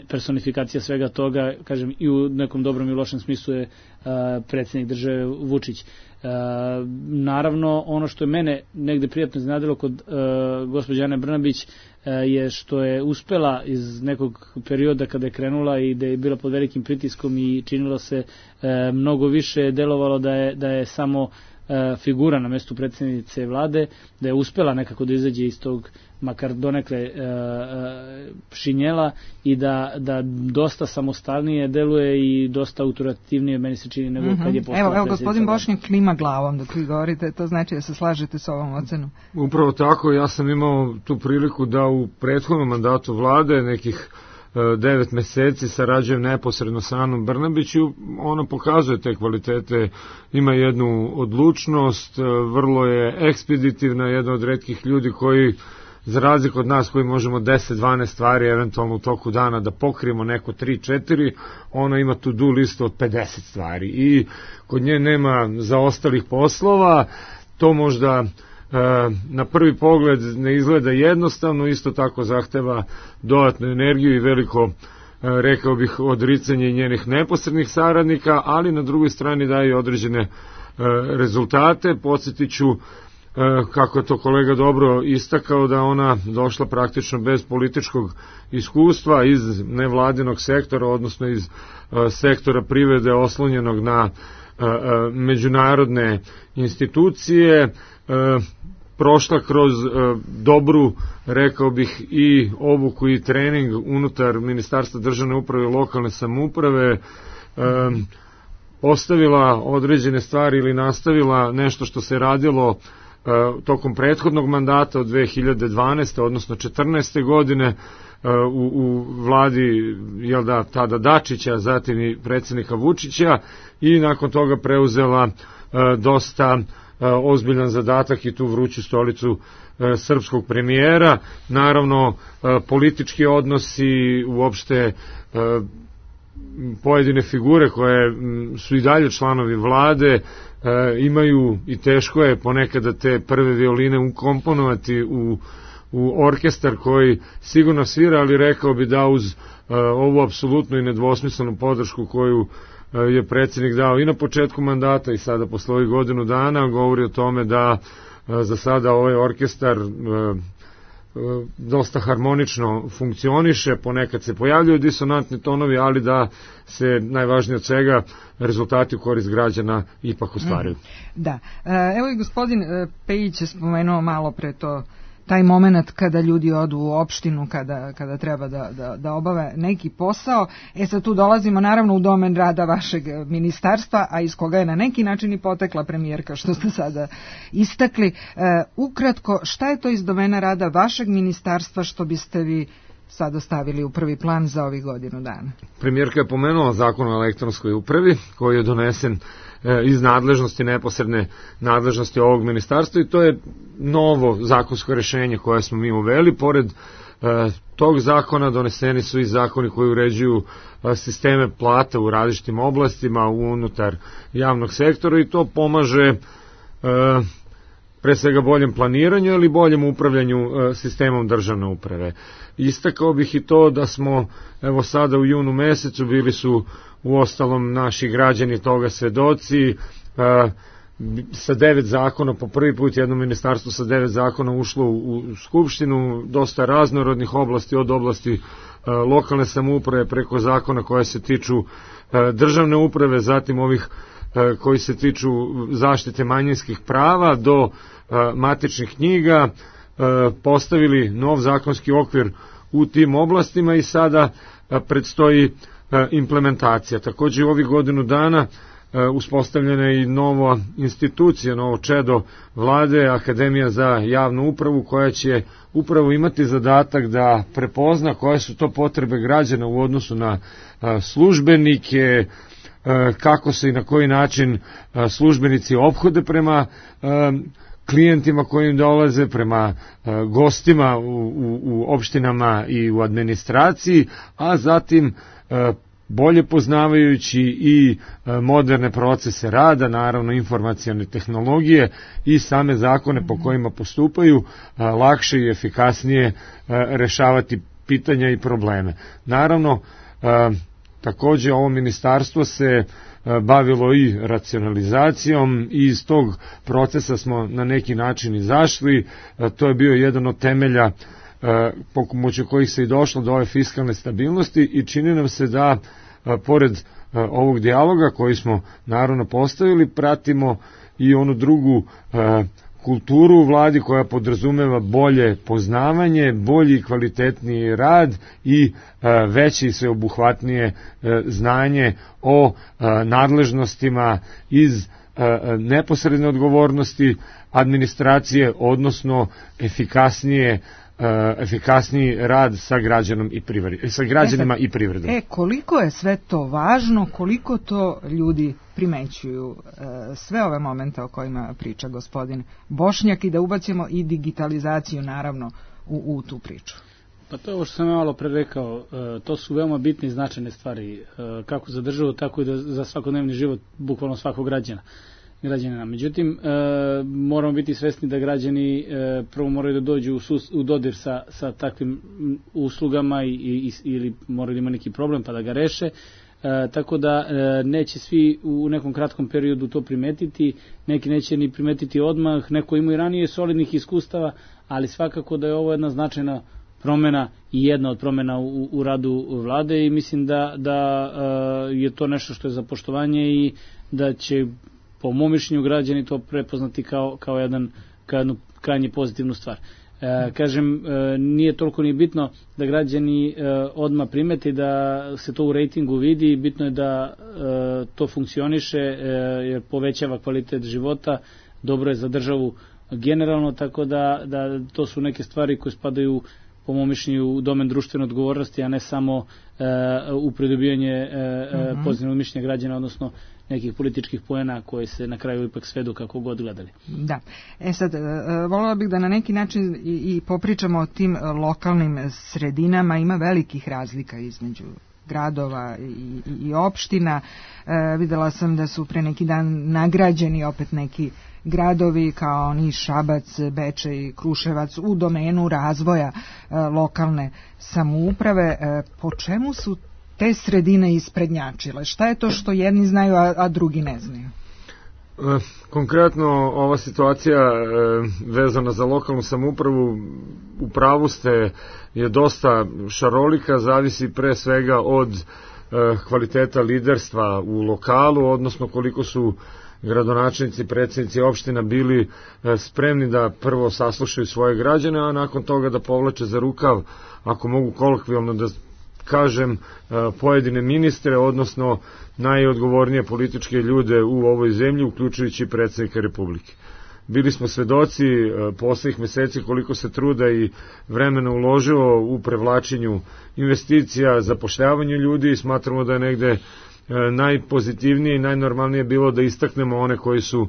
personifikacija svega toga, kažem, i u nekom dobrom i lošem smislu je predsjednik države Vučić. Naravno, ono što je mene negde prijatno iznenadilo kod gospođe Ane Brnabić je što je uspela iz nekog perioda kada je krenula i da je bila pod velikim pritiskom i činilo se mnogo više, delovalo da je samo figura na mestu predsjednice vlade, da je uspela nekako da izađe iz tog makar donekle šinjela i da dosta samostalnije deluje i dosta autoritativnije, meni se čini, nego kad je postala predsjednica.
Evo, gospodin Bošnjak klima glavom dok vi govorite, to znači da se slažete s ovom ocenom.
Upravo tako, ja sam imao tu priliku da u prethodnom mandatu vlade nekih 9 meseci sarađujem neposredno sa Anom Brnabić i ona pokazuje te kvalitete, ima jednu odlučnost, vrlo je ekspeditivna, jedna od retkih ljudi koji, za razliku od nas koji možemo 10-12 stvari eventualno u toku dana da pokrijemo neko 3-4, ona ima to-do listu od 50 stvari i kod nje nema zaostalih poslova. To možda na prvi pogled ne izgleda jednostavno, isto tako zahteva dodatnu energiju i veliko, rekao bih, odricanje njenih neposrednih saradnika, ali na drugoj strani daje određene rezultate. Podsjetit ću, kako je to kolega dobro istakao, da ona došla praktično bez političkog iskustva iz nevladinog sektora, odnosno iz sektora privrede oslonjenog na međunarodne institucije, prošla kroz dobru, rekao bih, i obuku i trening unutar Ministarstva državne uprave i lokalne samouprave, ostavila određene stvari ili nastavila nešto što se radilo tokom prethodnog mandata od 2012. odnosno 14. godine u vladi tada Dačića, zatim i predsjednika Vučića, i nakon toga preuzela dosta ozbiljan zadatak i tu vruću stolicu srpskog premijera. Naravno, politički odnosi, uopšte pojedine figure koje su i dalje članovi vlade imaju, i teško je ponekada te prve violine ukomponovati u orkestar koji sigurno svira, ali rekao bi da uz ovu apsolutnu i nedvosmislenu podršku koju je predsjednik dao i na početku mandata i sada posle ovih godinu dana, govori o tome da za sada ovaj orkestar dosta harmonično funkcioniše, ponekad se pojavljuju disonantni tonovi, ali da se najvažnije od svega rezultati u korist građana ipak ostvaruju.
Da. Evo i gospodin Pejić je spomenuo malo pre to, taj moment kada ljudi odu u opštinu, kada treba da obave neki posao. Sad tu dolazimo naravno u domen rada vašeg ministarstva, a iz koga je na neki način i potekla premijerka, što ste sada istakli. Ukratko, šta je to iz domena rada vašeg ministarstva što biste vi sada stavili u prvi plan za ovih godinu dana?
Premijerka je pomenula zakon o elektronskoj upravi koji je donesen iz nadležnosti, neposredne nadležnosti ovog ministarstva, i to je novo zakonsko rešenje koje smo mi uveli. Pored tog zakona doneseni su i zakoni koji uređuju sisteme plata u različitim oblastima unutar javnog sektora, i to pomaže pre svega boljem planiranju ili boljem upravljanju sistemom državne uprave. Istakao bih i to da smo evo sada u junu mesecu, bili su u ostalom naši građani toga svedoci, sa 9 zakona, po prvi put jedno ministarstvo sa 9 zakona ušlo u Skupštinu, dosta raznorodnih oblasti, od oblasti lokalne samouprave preko zakona koje se tiču državne uprave, zatim ovih koji se tiču zaštite manjinskih prava do matičnih knjiga, postavili nov zakonski okvir u tim oblastima i sada predstoji implementacija. Takođe u ovih godinu dana uspostavljena je i nova institucija, novo čedo vlade, Akademija za javnu upravu, koja će upravo imati zadatak da prepozna koje su to potrebe građana u odnosu na službenike, kako se i na koji način službenici ophode prema klijentima koji im dolaze, prema gostima u opštinama i u administraciji, a zatim bolje poznavajući i moderne procese rada, naravno informacione tehnologije i same zakone po kojima postupaju, lakše i efikasnije rešavati pitanja i probleme. Naravno, takođe ovo ministarstvo se bavilo i racionalizacijom i iz tog procesa smo na neki način izašli. To je bio jedan od temelja pomoću kojih se i došlo do ove fiskalne stabilnosti, i čini nam se da pored ovog dijaloga koji smo naravno postavili, pratimo i onu drugu kulturu u vladi koja podrazumeva bolje poznavanje, bolji i kvalitetniji rad i veće i sveobuhvatnije znanje o nadležnostima iz neposredne odgovornosti administracije, odnosno efikasniji rad sa građanima i privredom.
Koliko je sve to važno, koliko to ljudi primećuju, sve ove momente o kojima priča gospodin Bošnjak, i da ubacimo i digitalizaciju naravno u tu priču?
Pa to je ovo što sam malo pre rekao, to su veoma bitne i značajne stvari, kako za državu, tako i za svakodnevni život bukvalno svakog građanina. Međutim, moramo biti svesni da građani prvo moraju da dođu u dodir sa takvim uslugama ili moraju da ima neki problem pa da ga reše, tako da neće svi u nekom kratkom periodu to primetiti, neki neće ni primetiti odmah, neko ima i ranije solidnih iskustava, ali svakako da je ovo jedna značajna promena i jedna od promena u radu vlade, i mislim da je to nešto što je za poštovanje i da će po mom mišljenju građani to prepoznati kao jednu krajnje pozitivnu stvar. Kažem, nije toliko ni bitno da građani odmah primeti, da se to u rejtingu vidi, bitno je da to funkcioniše, jer povećava kvalitet života, dobro je za državu generalno, tako da to su neke stvari koje spadaju po mom mišljenju u domen društvene odgovornosti, a ne samo u pridobivanje pozitivnog mišljenja građana, odnosno nekih političkih poena koje se na kraju ipak svedu kako god gledali.
Da. Sad, voljela bih da na neki način i popričamo o tim lokalnim sredinama. Ima velikih razlika između gradova i opština. Videla sam da su pre neki dan nagrađeni opet neki gradovi kao Niš, Šabac, Bečej, Kruševac u domenu razvoja lokalne samouprave. Po čemu su te sredine isprednjačile? Šta je to što jedni znaju, a drugi ne znaju?
Konkretno ova situacija vezana za lokalnu samoupravu, u pravu ste, je dosta šarolika, zavisi pre svega od kvaliteta liderstva u lokalu, odnosno koliko su gradonačelnici, predsjednici opština bili spremni da prvo saslušaju svoje građane, a nakon toga da povlače za rukav, ako mogu kolokvijalno da kažem, pojedine ministre, odnosno najodgovornije političke ljude u ovoj zemlji, uključujući predsjednika Republike. Bili smo svedoci poslednjih meseci koliko se truda i vremena uložilo u prevlačenju investicija, zapošljavanju ljudi, i smatramo da je negde najpozitivnije i najnormalnije bilo da istaknemo one koji su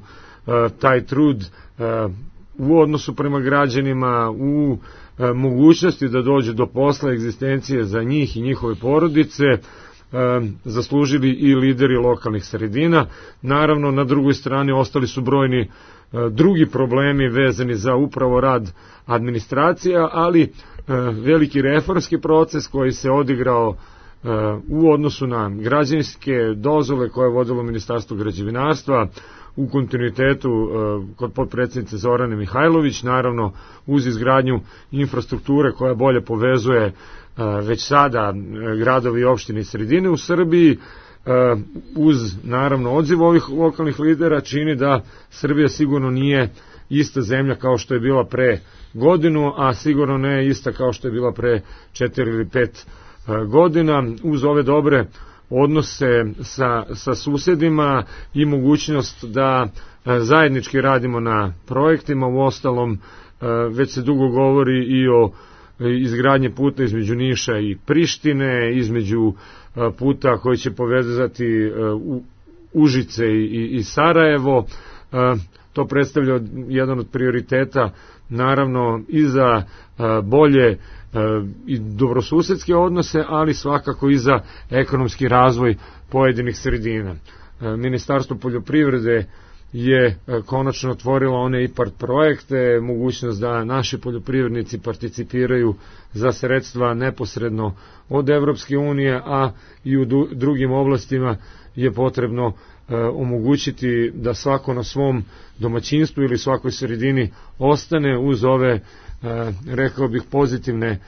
taj trud u odnosu prema građanima, u mogućnosti da dođe do posla, egzistencije za njih i njihove porodice, zaslužili i lideri lokalnih sredina. Naravno, na drugoj strani ostali su brojni drugi problemi vezani za upravo rad administracija, ali veliki reformski proces koji se odigrao u odnosu na građevinske dozvole koje je vodilo Ministarstvo građevinarstva u kontinuitetu kod potpredsjednice Zorane Mihajlović, naravno uz izgradnju infrastrukture koja bolje povezuje već sada gradovi i opštine i sredine u Srbiji, uz naravno odziv ovih lokalnih lidera, čini da Srbija sigurno nije ista zemlja kao što je bila pre godinu, a sigurno ne ista kao što je bila pre 4 ili 5 godina. Uz ove dobre odnose sa susedima i mogućnost da zajednički radimo na projektima. U ostalom, već se dugo govori i o izgradnje puta između Niša i Prištine, između puta koji će povezati Užice i Sarajevo. To predstavlja jedan od prioriteta, naravno, i za bolje i dobrosusedske odnose, ali svakako i za ekonomski razvoj pojedinih sredina. Ministarstvo poljoprivrede je konačno otvorilo one IPARD projekte, mogućnost da naši poljoprivrednici participiraju za sredstva neposredno od Evropske unije, a i u drugim oblastima je potrebno omogućiti da svako na svom domaćinstvu ili svakoj sredini ostane uz ove, rekao bih, pozitivne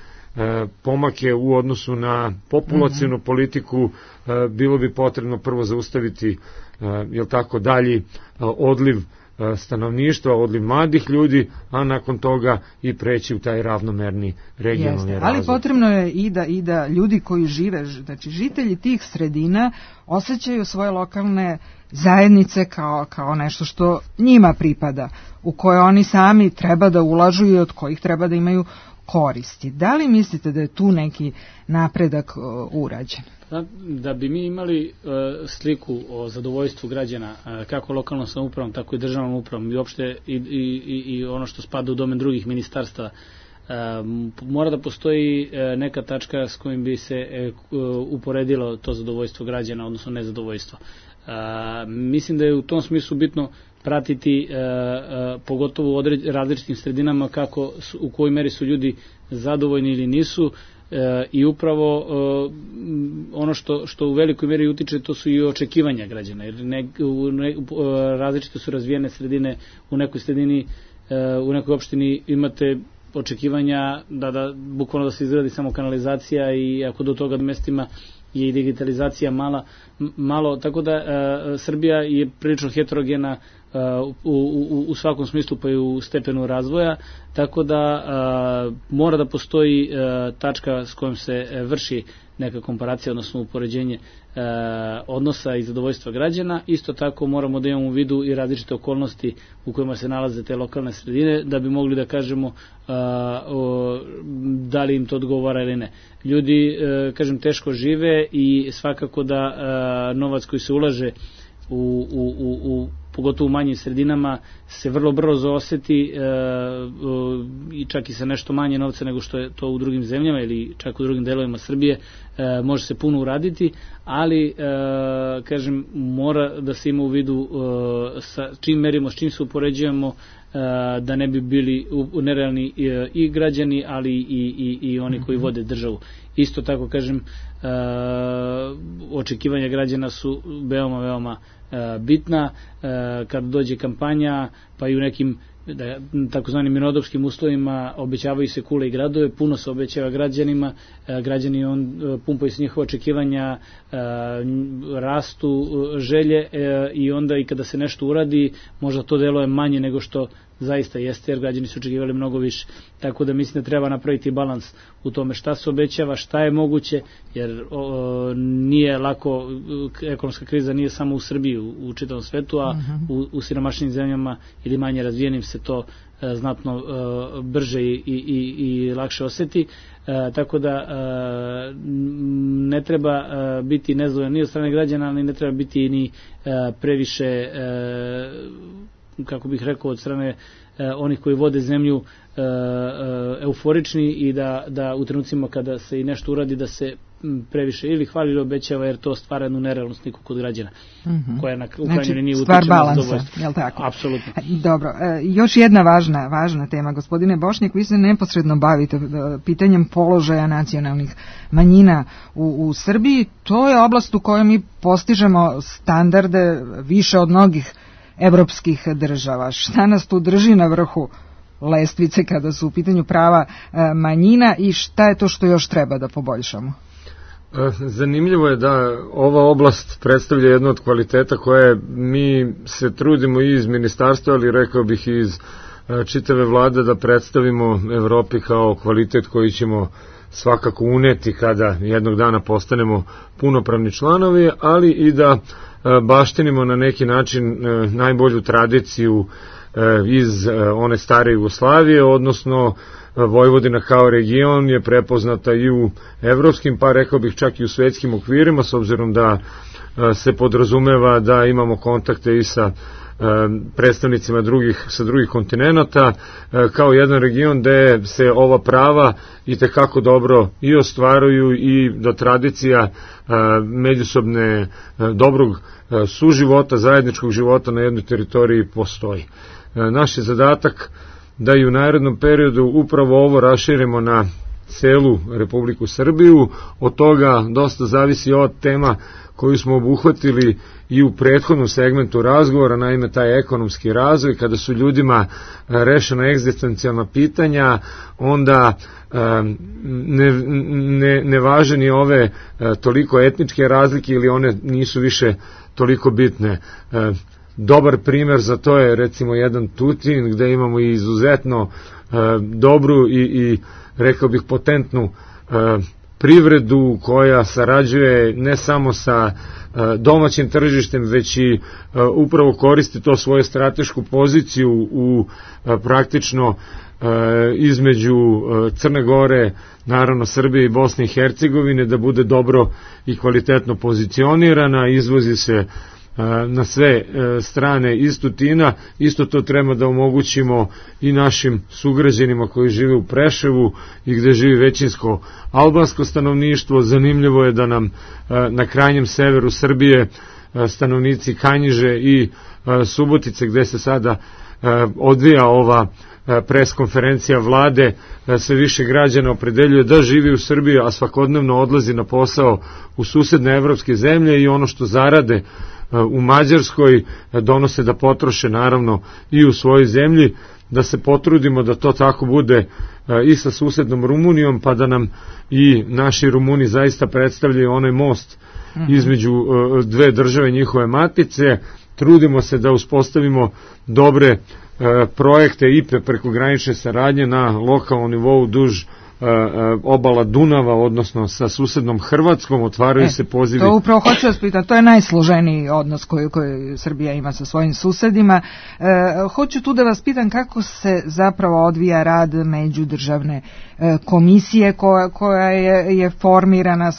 pomake u odnosu na populacionu politiku. Bilo bi potrebno prvo zaustaviti dalji odliv stanovništva, odliv mladih ljudi, a nakon toga i preći u taj ravnomerni regionalni razvoj.
Ali potrebno je i da ljudi koji žive, znači žitelji tih sredina, osjećaju svoje lokalne zajednice kao nešto što njima pripada, u koje oni sami treba da ulažu i od kojih treba da imaju koristi. Da li mislite da je tu neki napredak urađen?
Da bi mi imali sliku o zadovoljstvu građana, kako lokalnom samoupravom, tako i državnom upravom i uopšte i ono što spada u domen drugih ministarstva, mora da postoji neka tačka s kojim bi se uporedilo to zadovoljstvo građana, odnosno nezadovoljstvo. Mislim da je u tom smislu bitno pratiti, pogotovo u različitim sredinama, u kojoj meri su ljudi zadovoljni ili nisu, i upravo ono što u velikoj meri utiče, to su i očekivanja građana, jer različite su razvijene sredine. U nekoj sredini, u nekoj opštini imate očekivanja da bukvalno da se izgradi samo kanalizacija, i ako do toga mestima je i digitalizacija malo, tako da Srbija je prilično heterogena u svakom smislu, pa i u stepenu razvoja, tako da mora da postoji tačka s kojom se vrši neka komparacija, odnosno upoređenje odnosa i zadovoljstva građana. Isto tako moramo da imamo u vidu i različite okolnosti u kojima se nalaze te lokalne sredine, da bi mogli da kažemo da li im to odgovara ili ne. Ljudi, kažem, teško žive i svakako da novac koji se ulaže pogotovo u manjim sredinama, se vrlo brzo oseti i čak i sa nešto manje novca nego što je to u drugim zemljama ili čak u drugim delovima Srbije, može se puno uraditi, ali, kažem, mora da se ima u vidu sa čim merimo, s čim se upoređujemo, da ne bi bili nerealni i građani, ali i oni koji vode državu. Isto tako, kažem, očekivanja građana su veoma, veoma bitna. Kad dođe kampanja, pa i u nekim takozvanim mirnodopskim uslovima obećavaju se kule i gradove, puno se obećava građanima, građani pumpaju se njihova očekivanja, rastu želje i onda i kada se nešto uradi, možda to deluje manje nego što zaista jeste, jer građani su očekivali mnogo više. Tako da mislim da treba napraviti balans u tome šta se obećava, šta je moguće, jer nije lako, ekonomska kriza nije samo u Srbiji, u čitavom svetu, a u siromašnim zemljama ili manje razvijenim se to znatno brže i lakše oseti. Tako da ne treba biti nezadovoljan ni od strane građana, ali ne treba biti ni previše, kako bih rekao, od strane onih koji vode zemlju euforični i da u trenucima kada se i nešto uradi da se previše ili hvali ili obećava, jer to stvara jednu nerealnu sliku kod građana, koja na krajnjoj liniji utiče na zadovoljstvo.
Stvar balansa, je li tako?
Apsolutno.
Dobro, još jedna važna tema, gospodine Bošnjak, vi se neposredno bavite pitanjem položaja nacionalnih manjina u Srbiji. To je oblast u kojoj mi postižemo standarde više od mnogih evropskih država. Šta nas tu drži na vrhu lestvice kada su u pitanju prava manjina i šta je to što još treba da poboljšamo?
Zanimljivo je da ova oblast predstavlja jedno od kvaliteta koje mi se trudimo i iz ministarstva, ali rekao bih i iz čitave vlade da predstavimo Evropi kao kvalitet koji ćemo svakako uneti kada jednog dana postanemo punopravni članovi, ali i da baštinimo na neki način najbolju tradiciju iz one stare Jugoslavije, odnosno Vojvodina kao region je prepoznata i u evropskim, pa rekao bih čak i u svetskim okvirima, s obzirom da se podrazumeva da imamo kontakte i sa predstavnicima sa drugih kontinenata, kao jedan region gde se ova prava i tekako dobro i ostvaruju i da tradicija međusobne dobrog suživota, zajedničkog života na jednoj teritoriji postoji. Naš je zadatak da i u narednom periodu upravo ovo raširimo na celu Republiku Srbiju. Od toga dosta zavisi od tema koju smo obuhvatili i u prethodnom segmentu razgovora, naime taj ekonomski razvoj. Kada su ljudima rešena egzistencijalna pitanja, onda ne važe ni ove toliko etničke razlike ili one nisu više toliko bitne. Dobar primer za to je recimo jedan Tutin gde imamo i izuzetno dobru i rekao bih potentnu privredu koja sarađuje ne samo sa domaćim tržištem, već i upravo koristi to svoju stratešku poziciju u praktično između Crne Gore, naravno Srbije i Bosne i Hercegovine, da bude dobro i kvalitetno pozicionirana, izvozi se na sve strane iz Tutina. Isto to treba da omogućimo i našim sugrađanima koji žive u Preševu i gde živi većinsko albansko stanovništvo. Zanimljivo je da nam na krajnjem severu Srbije stanovnici Kanjiže i Subotice, gde se sada odvija ova preskonferencija vlade, sve više građana opredeljuje da živi u Srbiji, a svakodnevno odlazi na posao u susedne evropske zemlje i ono što zarade u Mađarskoj donose da potroše naravno i u svojoj zemlji, da se potrudimo da to tako bude i sa susednom Rumunijom, pa da nam i naši Rumuni zaista predstavljaju onaj most između dve države njihove matice, trudimo se da uspostavimo dobre projekte IPE prekogranične saradnje na lokalnom nivou duž obala Dunava, odnosno sa susednom Hrvatskom, otvaraju se pozivi.
To upravo hoću vas pitati, to je najsloženiji odnos koji Srbija ima sa svojim susedima. Hoću tu da vas pitam kako se zapravo odvija rad međudržavne komisije koja je formirana,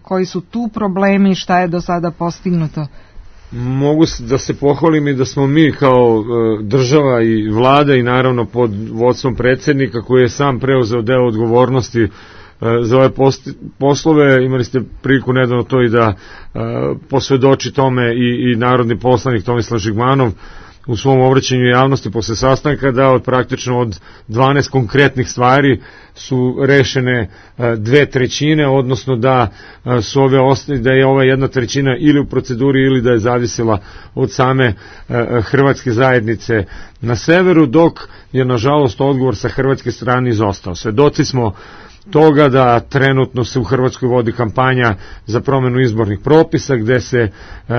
koji su tu problemi, šta je do sada postignuto?
Mogu da se pohvalim i da smo mi kao država i vlada i naravno pod vodstvom predsjednika koji je sam preuzeo deo odgovornosti za ove poslove, imali ste priliku nedavno to i da posvedoči tome i narodni poslanik Tomislav Žigmanov u svom obraćanju javnosti posle sastanka, da od praktično od 12 konkretnih stvari su rešene 2/3, odnosno da su da je ova 1/3 ili u proceduri ili da je zavisila od same hrvatske zajednice na severu, dok je nažalost odgovor sa hrvatske strane izostao. Svedoci smo toga da trenutno se u Hrvatskoj vodi kampanja za promenu izbornih propisa gde se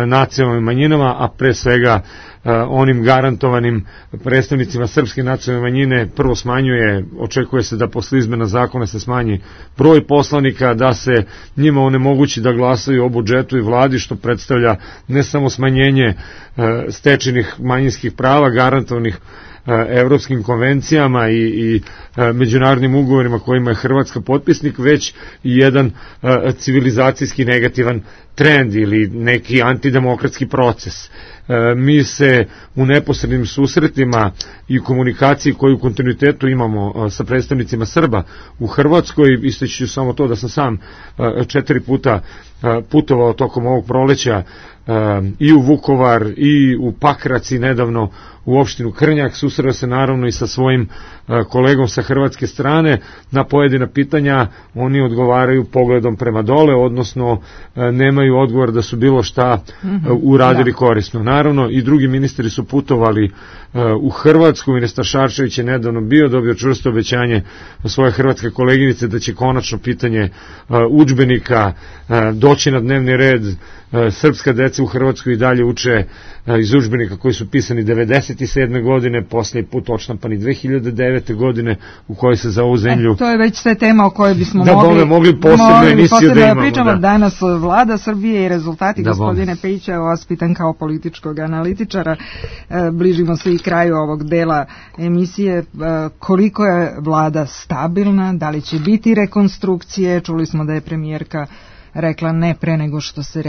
nacionalnim manjinama, a pre svega onim garantovanim predstavnicima srpske nacionalne manjine prvo smanjuje, očekuje se da posle izmena zakona se smanji broj poslanika, da se njima onemogući da glasaju o budžetu i vladi, što predstavlja ne samo smanjenje stečenih manjinskih prava garantovanih evropskim konvencijama i međunarodnim ugovorima kojima je Hrvatska potpisnik, već i jedan civilizacijski negativan trend ili neki antidemokratski proces. Mi se u neposrednim susretima i komunikaciji koju u kontinuitetu imamo sa predstavnicima Srba u Hrvatskoj, istaći ću samo to da sam sam 4 puta putovao tokom ovog proleća i u Vukovar i u Pakrac i nedavno u opštinu Krnjak, susreo se naravno i sa svojim kolegom sa hrvatske strane. Na pojedina pitanja oni odgovaraju pogledom prema dole, odnosno nemaju odgovor da su bilo šta uradili korisno. Naravno i drugi ministri su putovali u Hrvatsku. Ministar Šarčević je nedavno dobio čvrsto obećanje svoje hrvatske koleginice da će konačno pitanje udžbenika doći na dnevni red. Srpska deca u Hrvatskoj i dalje uče iz udžbenika koji su pisani 1997. godine, posljednji put odštampani 2009. godine, u kojoj se za ovu zemlju...
To je već sve tema o kojoj bismo
mogli posebno emisiju da imamo.
Pričamo danas Vlada Srbije i rezultati, gospodine Pejića, vas pitan kao političkog analitičara, bližimo se i kraju ovog dela emisije, koliko je Vlada stabilna, da li će biti rekonstrukcije, čuli smo da je premijerka rekla ne pre nego što se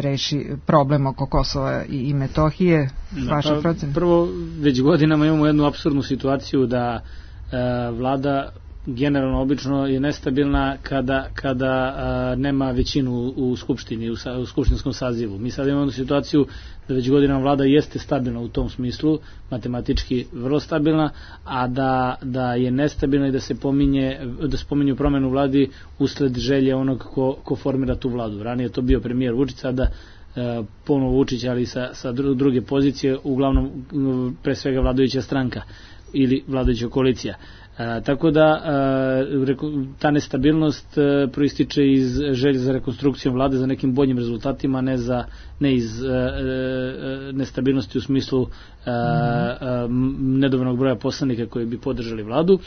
reši problem oko Kosova i Metohije. Vaša procena?
Prvo, već godinama imamo jednu apsurdnu situaciju da vlada generalno obično je nestabilna kada nema većinu u skupštini, u skupštinskom sazivu. Mi sad imamo situaciju da već godinama vlada jeste stabilna u tom smislu, matematički vrlo stabilna, a da je nestabilna i da se spominju promenu vladi usled želje onog ko formira tu vladu. Ranije je to bio premijer Vučić, sada ponovo Vučić, ali sa druge pozicije, uglavnom pre svega vladajuća stranka ili vladajuća koalicija. Tako da ta nestabilnost proističe iz želje za rekonstrukcijom vlade, za nekim boljim rezultatima, ne iz nestabilnosti u smislu nedovoljnog broja poslanika koji bi podržali vladu.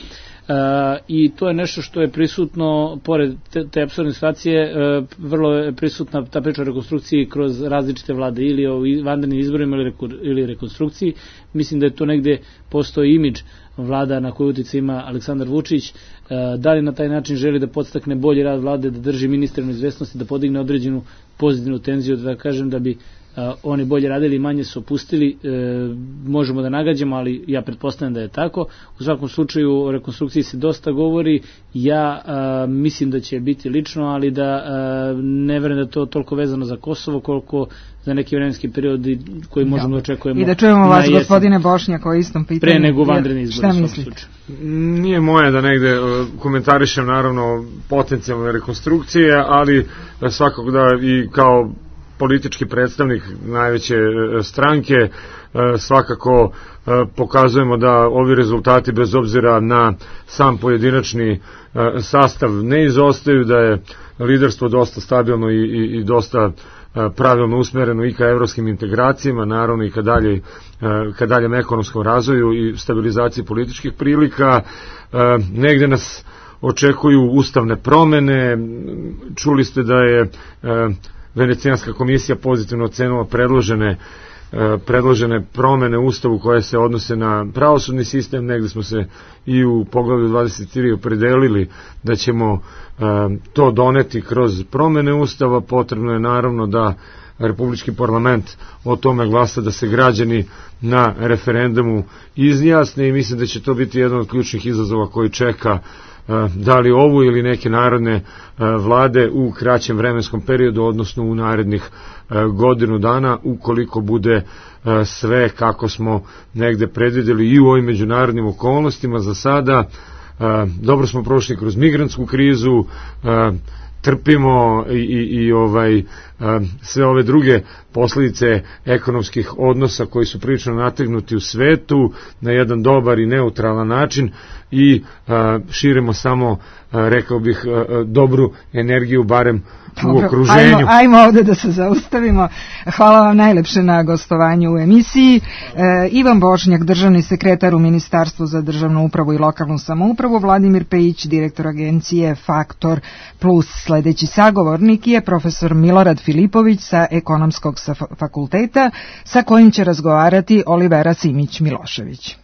I to je nešto što je prisutno, pored te apsurdne situacije, vrlo je prisutna ta priča o rekonstrukciji kroz različite vlade, ili o vanrednim izborima ili rekonstrukciji. Mislim da je to negde postoji imidž vlada na koju utjecaj ima Aleksandar Vučić, da li na taj način želi da podstakne bolji rad vlade, da drži ministre na izvesnosti, da podigne određenu pozitivnu tenziju, da kažem da bi oni bolje radili i manje su opustili, možemo da nagađamo, ali ja pretpostavljam da je tako. U svakom slučaju o rekonstrukciji se dosta govori, ja mislim da će biti lično, ali da ne verujem da je to toliko vezano za Kosovo koliko za neki vremenski period koji možemo da očekujemo.
I da čujemo vas, gospodine Bošnjak, o istom pitanju.
Pre nego vanredni izbor.
Šta mislite?
Nije moje da negde komentarišem naravno potencijalne rekonstrukcije, ali svakako da i kao politički predstavnik najveće stranke svakako pokazujemo da ovi rezultati bez obzira na sam pojedinačni sastav ne izostaju, da je liderstvo dosta stabilno i dosta pravilno usmereno i ka evropskim integracijama, naravno i ka daljem ekonomskom razvoju i stabilizaciji političkih prilika. Negde nas očekuju ustavne promene. Čuli ste da je Venecijanska komisija pozitivno ocenila predložene promene u Ustavu koje se odnose na pravosudni sistem. Negde smo se i u poglavlju 23 opredelili da ćemo to doneti kroz promene Ustava. Potrebno je naravno da Republički parlament o tome glasa, da se građani na referendumu izjasne i mislim da će to biti jedan od ključnih izazova koji čeka da li ovu ili neke narodne vlade u kraćem vremenskom periodu, odnosno u narednih godinu dana, ukoliko bude sve kako smo negde predvideli i u ovim međunarodnim okolnostima. Za sada dobro smo prošli kroz migrantsku krizu, trpimo i sve ove druge posledice ekonomskih odnosa koji su prilično nategnuti u svetu na jedan dobar i neutralan način i širimo samo, rekao bih, dobru energiju, barem u okruženju.
Ajmo ovde da se zaustavimo. Hvala vam najlepše na gostovanju u emisiji. Ivan Bošnjak, državni sekretar u Ministarstvu za državnu upravu i lokalnu samoupravu, Vladimir Pejić, direktor agencije Faktor Plus. Sledeći sagovornik je profesor Milorad Filipović sa Ekonomskog fakulteta, sa kojim će razgovarati Olivera Simić-Milošević.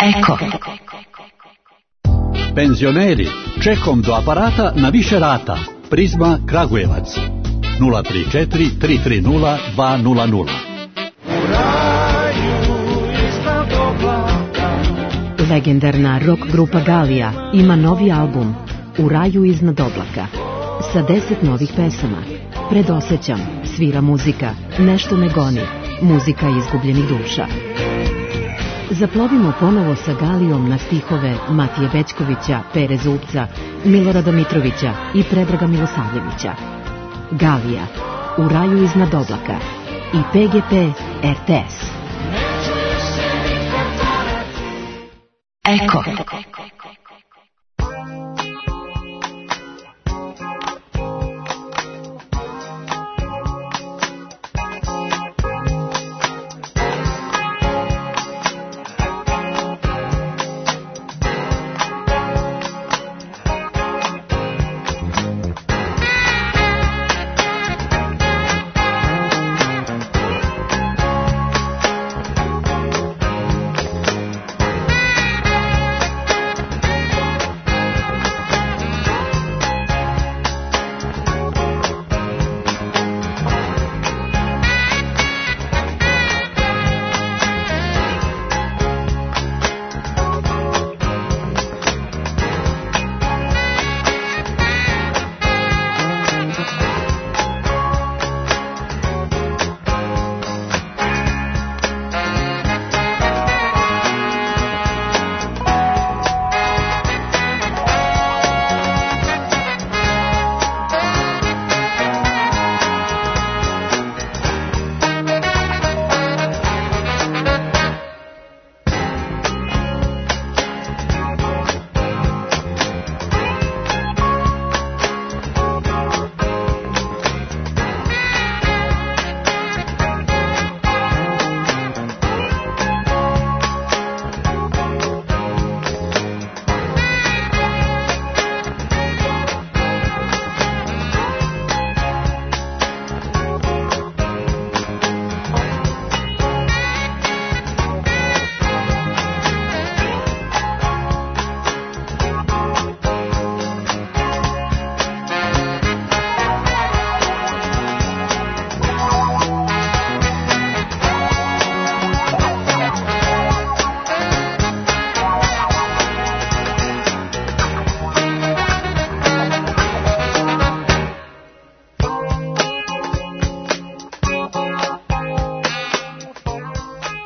Eko. Penzioneri, čekom do aparata na više rata. Prizma Kragujevac 034 330 200.
Legendarna rock grupa Galija ima novi album U raju iznad oblaka sa 10 novih pesama. Predosećam, svira muzika, nešto me goni, muzika izgubljenih duša. Zaplovimo ponovo sa Galijom na stihove Matije Bećkovića, Pere Zupca, Milorada Mitrovića i Predraga Milosavljevića. Galija, U raju iznad oblaka i PGP RTS.
Eko.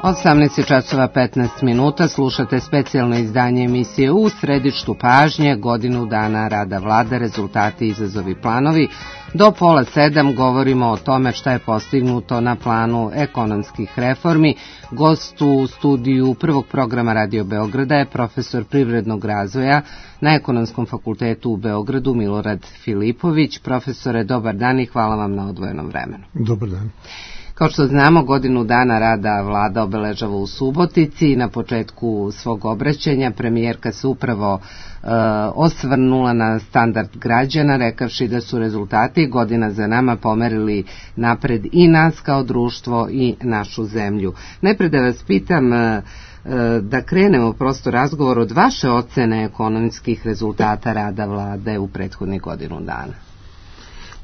18 časova 15 minuta, slušate specijalno izdanje emisije U središtu pažnje, godinu dana rada vlade, rezultati, izazovi, planovi. Do 6:30 govorimo o tome šta je postignuto na planu ekonomskih reformi. Gost u studiju prvog programa Radio Beograda je profesor privrednog razvoja na Ekonomskom fakultetu u Beogradu Milorad Filipović. Profesore, dobar dan i hvala vam na odvojenom vremenu.
Dobar dan.
Kao što znamo, godinu dana rada vlada obeležava u Subotici i na početku svog obraćanja premijerka se upravo osvrnula na standard građana, rekavši da su rezultati godina za nama pomerili napred i nas kao društvo i našu zemlju. Najpre da vas pitam, da krenemo prosto razgovor od vaše ocene ekonomskih rezultata rada vlade u prethodnih godinu dana.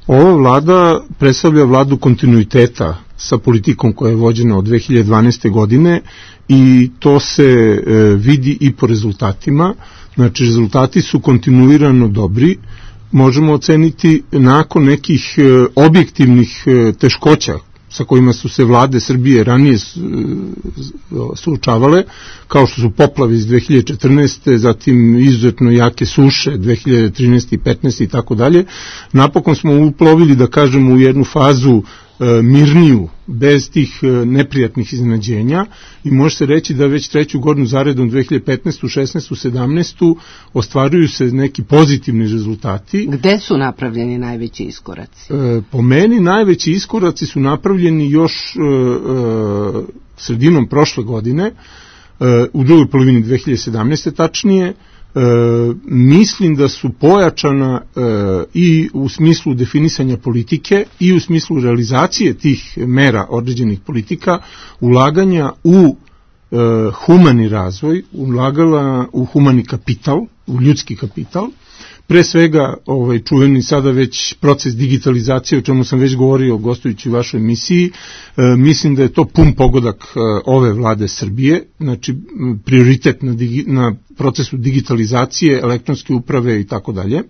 Ova vlada predstavlja vladu kontinuiteta sa politikom koja je vođena od 2012. godine i to se vidi i po rezultatima. Znači, rezultati su kontinuirano dobri. Možemo oceniti nakon nekih objektivnih teškoća sa kojima su se vlade Srbije ranije suočavale, kao što su poplave iz 2014. zatim izuzetno jake suše 2013. i 2015. i tako dalje. Napokon smo uplovili, da kažemo, u jednu fazu mirniju, bez tih neprijatnih iznenađenja i može se reći da već treću godinu zaredom 2015. 16. 17. ostvaruju se neki pozitivni rezultati.
Gde su napravljeni najveći iskoraci?
Po meni najveći iskoraci su napravljeni još sredinom prošle godine, u drugoj polovini 2017. tačnije. Mislim da su pojačana i u smislu definisanja politike i u smislu realizacije tih mera određenih politika, ulaganja u humani razvoj, ulagala u humani kapital, u ljudski kapital. Pre svega čuveni sada već proces digitalizacije, o čemu sam već govorio gostujući u vašoj emisiji, mislim da je to pun pogodak ove vlade Srbije, znači prioritet na procesu digitalizacije, elektronske uprave i tako dalje,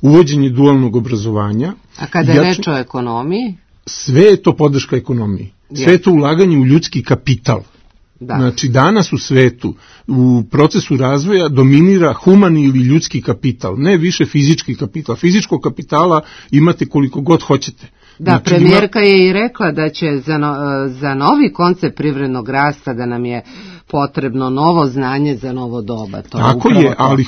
uvođenje dualnog obrazovanja.
A kada je reč o ekonomiji?
Sve je to podrška ekonomiji, sve je to ulaganje u ljudski kapital. Da. Znači, danas u svetu u procesu razvoja dominira humani ili ljudski kapital, ne više fizički kapital. Fizičkog kapitala imate koliko god hoćete.
Da, znači, premijerka je i rekla da će za novi koncept privrednog rasta da nam je potrebno novo znanje za novo doba.
Tako je, ali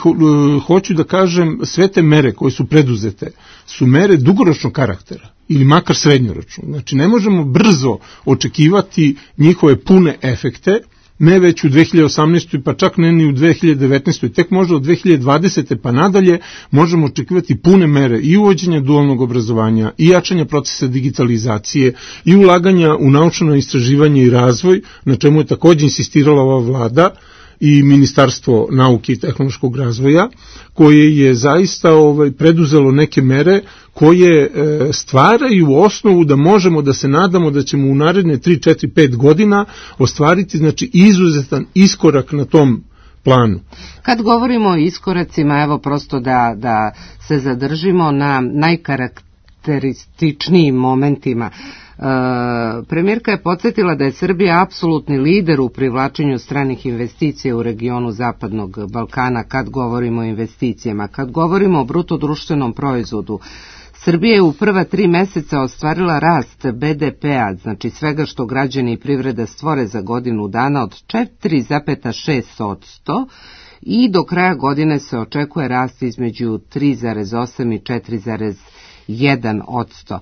hoću da kažem, sve te mere koje su preduzete su mere dugoročnog karaktera ili makar srednjoročno. Znači, ne možemo brzo očekivati njihove pune efekte, ne već u 2018. pa čak ne ni u 2019. Tek možda od 2020. pa nadalje možemo očekivati pune mere i uvođenja dualnog obrazovanja i jačanja procesa digitalizacije i ulaganja u naučno istraživanje i razvoj, na čemu je također insistirala ova vlada i Ministarstvo nauke i tehnološkog razvoja, koje je zaista preduzelo neke mere koje stvaraju osnovu da možemo da se nadamo da ćemo u naredne 3, 4, 5 godina ostvariti, znači, izuzetan iskorak na tom planu.
Kad govorimo o iskoracima, evo prosto da se zadržimo na najkarakterističnijim momentima. Premijerka je podsjetila da je Srbija apsolutni lider u privlačenju stranih investicija u regionu Zapadnog Balkana kad govorimo o investicijama. Kad govorimo o bruto društvenom proizvodu, Srbija je u prva 3 meseca ostvarila rast BDP-a, znači svega što građani i privreda stvore za godinu dana, od 4,6% i do kraja godine se očekuje rast između 3,8 i 4,1%.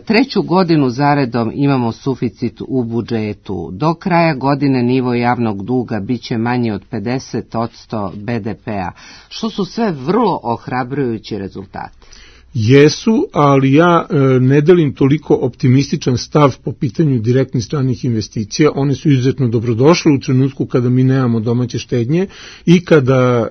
Treću godinu zaredom imamo suficit u budžetu. Do kraja godine nivo javnog duga biće manji od 50% BDP-a, što su sve vrlo ohrabrujući rezultati.
Jesu, ali ja ne delim toliko optimističan stav po pitanju direktnih stranih investicija. One su izuzetno dobrodošle u trenutku kada mi nemamo domaće štednje i kada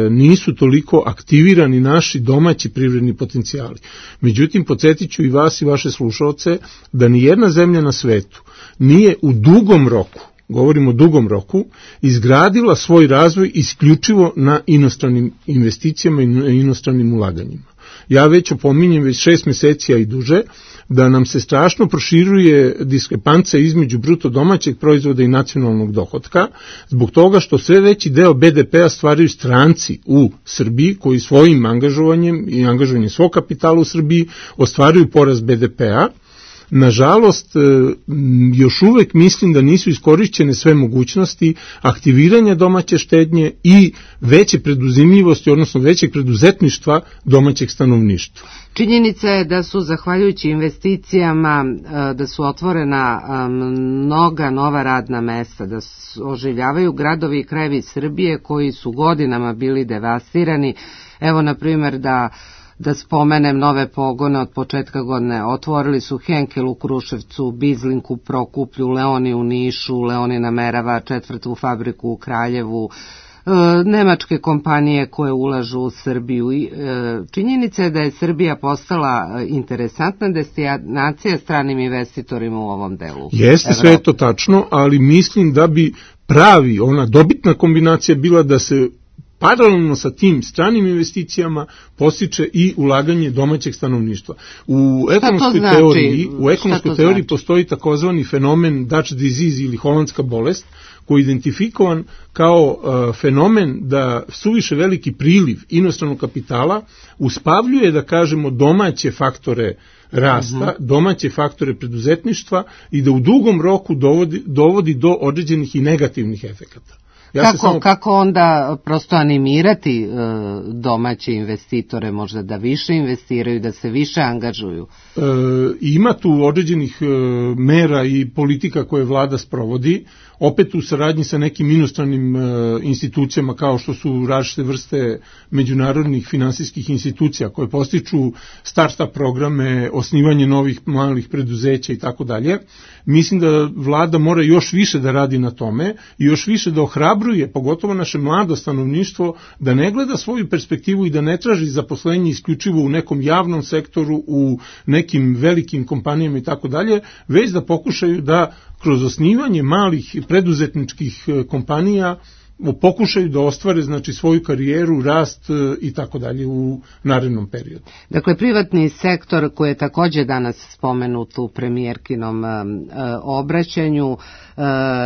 nisu toliko aktivirani naši domaći privredni potencijali. Međutim, podsjetit ću i vas i vaše slušalce da ni jedna zemlja na svetu nije u dugom roku govorimo o dugom roku, izgradila svoj razvoj isključivo na inostranim investicijama i inostranim ulaganjima. Ja već opominjem već 6 meseci, a i duže, da nam se strašno proširuje diskrepanca između bruto domaćeg proizvoda i nacionalnog dohotka, zbog toga što sve veći deo BDP-a stvaraju stranci u Srbiji, koji svojim angažovanjem i angažovanjem svog kapitala u Srbiji ostvaruju porast BDP-a. Nažalost, još uvek mislim da nisu iskorišćene sve mogućnosti aktiviranja domaće štednje i veće preduzimljivosti, odnosno većeg preduzetništva domaćeg stanovništva.
Činjenica je da su, zahvaljujući investicijama, da su otvorena mnoga nova radna mesta, da oživljavaju gradovi i krajevi Srbije koji su godinama bili devastirani. Evo, na primjer, da spomenem nove pogone od početka godine. Otvorili su Henkel u Kruševcu, Bizlink u Prokuplju, Leoni u Nišu, Leoni namerava 4. fabriku u Kraljevu, nemačke kompanije koje ulažu u Srbiju. Činjenica je da je Srbija postala interesantna destinacija stranim investitorima u ovom delu.
Jeste, sve je to tačno, ali mislim da bi ona dobitna kombinacija bila da se paralelno sa tim stranim investicijama postiče i ulaganje domaćeg stanovništva. U ekonomskoj teoriji postoji takozvani fenomen Dutch disease ili holandska bolest, koji je identifikovan kao fenomen da suviše veliki priliv inostranog kapitala uspavljuje, da kažemo, domaće faktore rasta, domaće faktore preduzetništva i da u dugom roku dovodi do određenih i negativnih efekata.
Kako onda prosto animirati domaće investitore možda da više investiraju, da se više angažuju?
Ima tu određenih mera i politika koje vlada sprovodi, opet u saradnji sa nekim inostranim institucijama kao što su različite vrste međunarodnih finansijskih institucija koje postiču start-up programe, osnivanje novih malih preduzeća i tako dalje. Mislim da vlada mora još više da radi na tome i još više da ohrabruje, pogotovo naše mlado stanovništvo, da ne gleda svoju perspektivu i da ne traži zaposlenje isključivo u nekom javnom sektoru, u nekim velikim kompanijama i tako dalje, već da pokušaju da kroz osnivanje malih preduzetničkih kompanija pokušaju da ostvare svoju karijeru, rast i tako dalje u narednom periodu.
Dakle, privatni sektor koji je također danas spomenut u premijerkinom obraćanju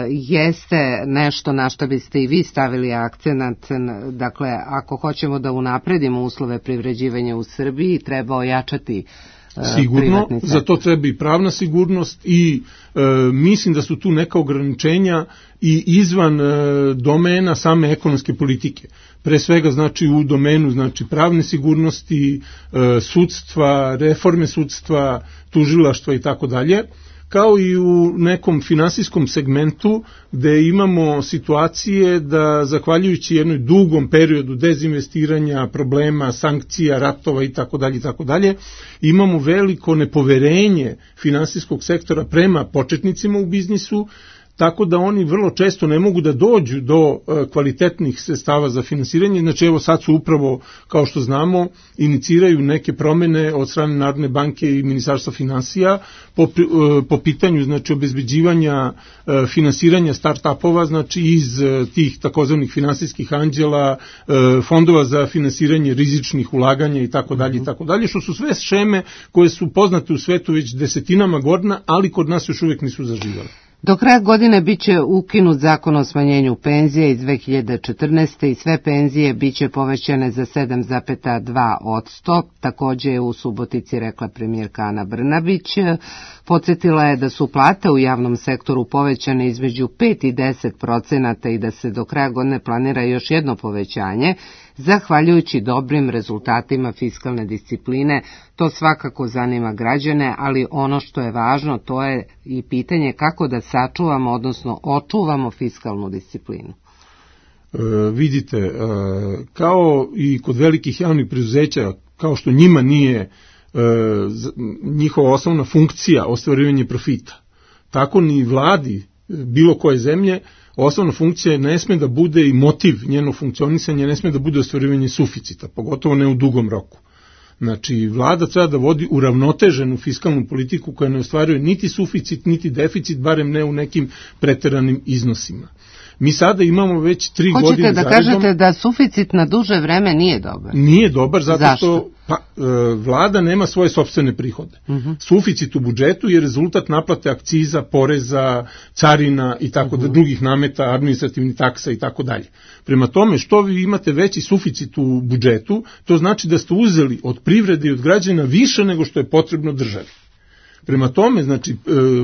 jeste nešto na što biste i vi stavili akcenat. Dakle, ako hoćemo da unapredimo uslove privređivanja u Srbiji, treba ojačati
sigurno, za to treba i pravna sigurnost i mislim da su tu neka ograničenja i izvan domena same ekonomske politike. Pre svega u domenu pravne sigurnosti, sudstva, reforme sudstva, tužilaštva i tako dalje, kao i u nekom finansijskom segmentu gde imamo situacije da zahvaljujući jednoj dugom periodu dezinvestiranja, problema, sankcija, ratova i tako dalje, imamo veliko nepoverenje finansijskog sektora prema početnicima u biznisu, tako da oni vrlo često ne mogu da dođu do kvalitetnih sredstava za finansiranje. Evo sad su upravo, kao što znamo, iniciraju neke promene od strane Narodne banke i Ministarstva finansija po pitanju obezbeđivanja finansiranja start-upova, iz tih takozvanih finansijskih anđela, fondova za finansiranje rizičnih ulaganja i tako dalje, što su sve šeme koje su poznate u svetu već desetinama godina, ali kod nas još uvijek nisu zaživjele.
Do kraja godine biće ukinut zakon o smanjenju penzija iz 2014. i sve penzije biće povećane za 7,2%. Također je u Subotici rekla premijerka Ana Brnabić. Podsjetila je da su plate u javnom sektoru povećane između 5 i 10% i da se do kraja godine planira još jedno povećanje, zahvaljujući dobrim rezultatima fiskalne discipline. To svakako zanima građane, ali ono što je važno to je i pitanje kako da sačuvamo, odnosno očuvamo fiskalnu disciplinu.
Vidite, kao i kod velikih javnih preduzeća, kao što njima nije njihova osnovna funkcija ostvarivanje profita, tako ni vladi bilo koje zemlje osnovna funkcija ne sme da bude i motiv njenog funkcionisanja, ne sme da bude ostvarivanje suficita, pogotovo ne u dugom roku. Znači, vlada treba da vodi uravnoteženu fiskalnu politiku koja ne ostvaruje niti suficit, niti deficit, barem ne u nekim preteranim iznosima. Mi sada imamo već 3 godine
zaredom... Hoćete da kažete da suficit na duže vreme nije dobar?
Nije dobar zato
Zašto?
što vlada nema svoje sopstvene prihode. Suficit u budžetu je rezultat naplate akciza, poreza, carina i tako da drugih nameta, administrativnih taksa i tako dalje. Prema tome, što vi imate veći suficit u budžetu, to znači da ste uzeli od privrede i od građana više nego što je potrebno državi. Prema tome, znači,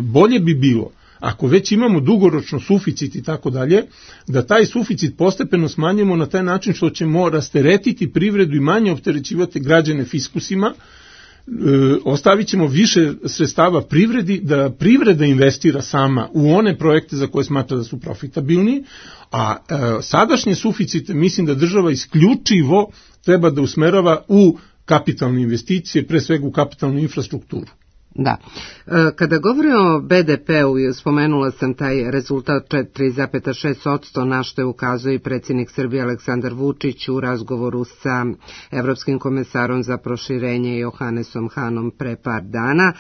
bolje bi bilo, ako već imamo dugoročno suficit i tako dalje, da taj suficit postepeno smanjimo na taj način što ćemo rasteretiti privredu i manje opterećivati građane fiskusima, ostavit ćemo više sredstava privredi, da privreda investira sama u one projekte za koje smatra da su profitabilni, a sadašnje suficite mislim da država isključivo treba da usmerava u kapitalne investicije, pre svega u kapitalnu infrastrukturu.
Da. Kada govorimo o BDP-u, spomenula sam taj rezultat 4,6%, na što je ukazao i predsjednik Srbije Aleksandar Vučić u razgovoru sa Evropskim komesarom za proširenje Johannesom Hanom pre par dana,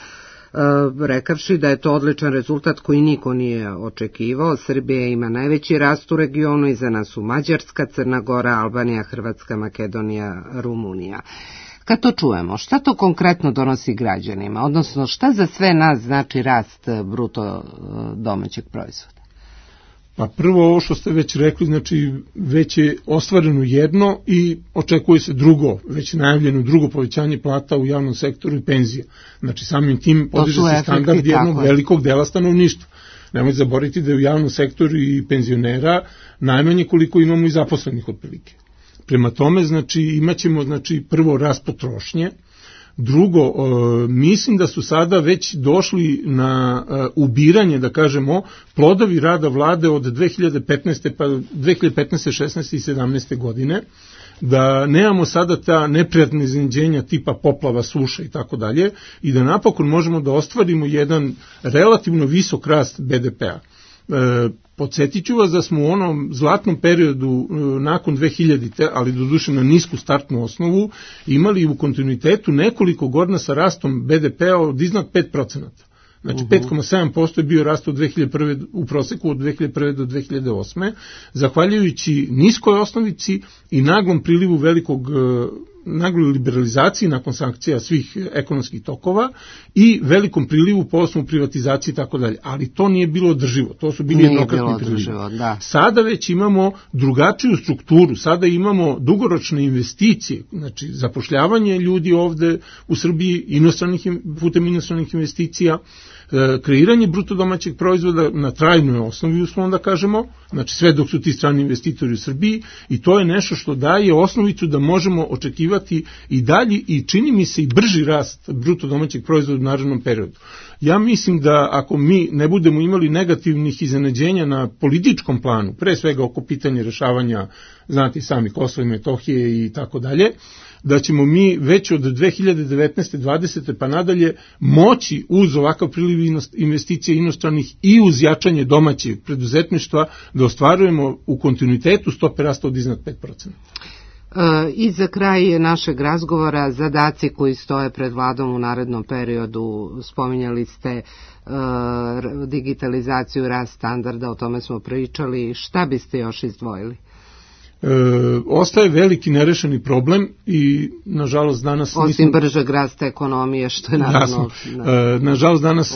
rekavši da je to odličan rezultat koji niko nije očekivao. Srbija ima najveći rast u regionu, iza nas su Mađarska, Crna Gora, Albanija, Hrvatska, Makedonija, Rumunija. Kad to čujemo, šta to konkretno donosi građanima, odnosno šta za sve nas znači rast bruto domaćeg proizvoda?
Pa prvo ovo što ste već rekli, znači već je ostvareno jedno i očekuje se drugo, već najavljeno drugo povećanje plata u javnom sektoru i penzija. Znači samim tim podiže se standard jednog velikog dela stanovništva. Nemojte zaboraviti da je u javnom sektoru i penzionera najmanje koliko imamo i zaposlenih otprilike. Prema tome, znači, imat ćemo, znači, prvo rast potrošnje, drugo, mislim da su sada već došli na ubiranje, da kažemo, plodovi rada vlade od 2015. pa 2015. 16. i 17. godine, da nemamo sada ta neprijatna iznenađenja tipa poplava, suša i tako dalje, i da napokon možemo da ostvarimo jedan relativno visok rast BDP-a. Podsjetit ću vas da smo u onom zlatnom periodu nakon 2000-te, ali doduše na nisku startnu osnovu, imali u kontinuitetu nekoliko godina sa rastom BDP-a od iznad 5%. Znači 5,7% je bio rast od 2001. u proseku od 2001. do 2008. Zahvaljujući niskoj osnovici i naglom prilivu nagloj liberalizaciji nakon sankcija svih ekonomskih tokova i velikom prilivu po osnovu privatizacije i tako dalje. Ali to nije bilo održivo, to su bili jednokratni prilivi. Sada već imamo drugačiju strukturu, sada imamo dugoročne investicije, znači zapošljavanje ljudi ovde u Srbiji putem inostranih investicija, kreiranje bruto domaćeg proizvoda na trajnoj osnovi, uslovno da kažemo, znači sve dok su ti strani investitori u Srbiji, i to je nešto što daje osnovicu da možemo očekivati i dalji i čini mi se i brži rast bruto domaćeg proizvoda u narednom periodu. Ja mislim da ako mi ne budemo imali negativnih iznenađenja na političkom planu, pre svega oko pitanja rešavanja, znate sami, Kosova i Metohije i tako dalje, da ćemo mi već od 2019. 20. pa nadalje moći uz ovakav priliv investicija inostranih i uz jačanje domaćeg preduzetništva da ostvarujemo u kontinuitetu stope rasta od iznad 5%.
I za kraj našeg razgovora, zadaci koji stoje pred vladom u narednom periodu, spominjali ste digitalizaciju, rast standarda, o tome smo pričali, šta biste još izdvojili?
Ostaje veliki nerešeni problem i nažalost danas
osim bržeg rasta ekonomije, što je naravno
nažalost danas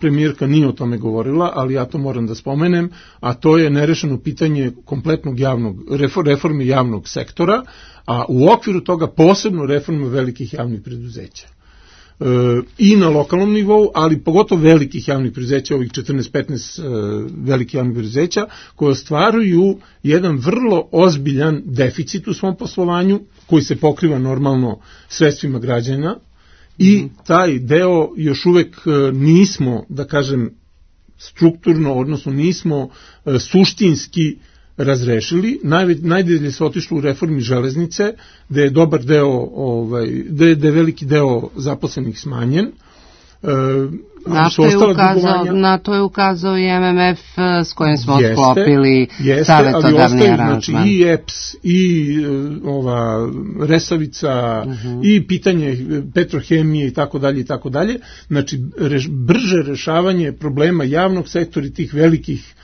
premijerka nije o tome govorila, ali ja to moram da spomenem, a to je nerešeno pitanje kompletnog reforme javnog sektora, a u okviru toga posebno reforme velikih javnih preduzeća. I na lokalnom nivou, ali pogotovo velikih javnih preduzeća, ovih 14-15 velikih javnih preduzeća, koje ostvaruju jedan vrlo ozbiljan deficit u svom poslovanju, koji se pokriva normalno sredstvima građana, i taj deo još uvek nismo, da kažem, strukturno, odnosno nismo suštinski razrešili. Najdalje se otišlo u reformi železnice, gde je dobar deo, gde je veliki deo zaposlenih smanjen.
Na to je ukazao i MMF s kojim smo sklopili savjetodavni aranžman.
Znači i EPS, i Resavica, i pitanje petrohemije i tako dalje. Znači, brže rešavanje problema javnog sektora i tih velikih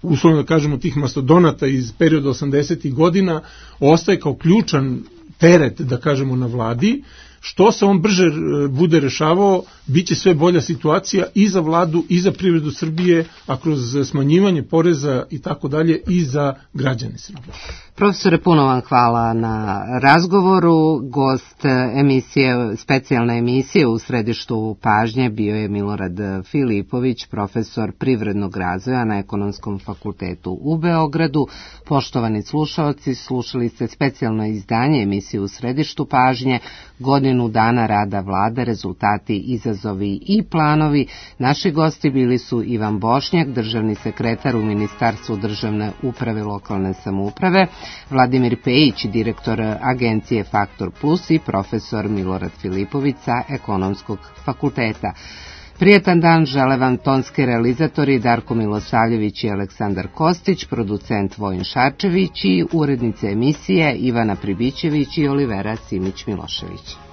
uslovno da kažemo tih mastodonata iz perioda 80. godina ostaje kao ključan teret, da kažemo, na vladi. Što se on brže bude rešavao, bit će sve bolja situacija i za vladu i za privredu Srbije, a kroz smanjivanje poreza i tako dalje i za građane Srbije.
Profesore, puno vam hvala na razgovoru. Gost emisije, specijalne emisije u središtu pažnje bio je Milorad Filipović, profesor privrednog razvoja na Ekonomskom fakultetu u Beogradu. Poštovani slušalci, slušali ste specijalno izdanje emisije u središtu pažnje, godinu dana rada vlade, rezultati, izazovi i planovi. Naši gosti bili su Ivan Bošnjak, državni sekretar u Ministarstvu državne uprave i lokalne samouprave, Vladimir Pejić, direktor agencije Faktor Plus i profesor Milorad Filipović sa Ekonomskog fakulteta. Prijetan dan žele vam tonski realizatori Darko Milosavljević i Aleksandar Kostić, producent Vojin Šarčević i urednice emisije Ivana Pribićević i Olivera Simić-Milošević.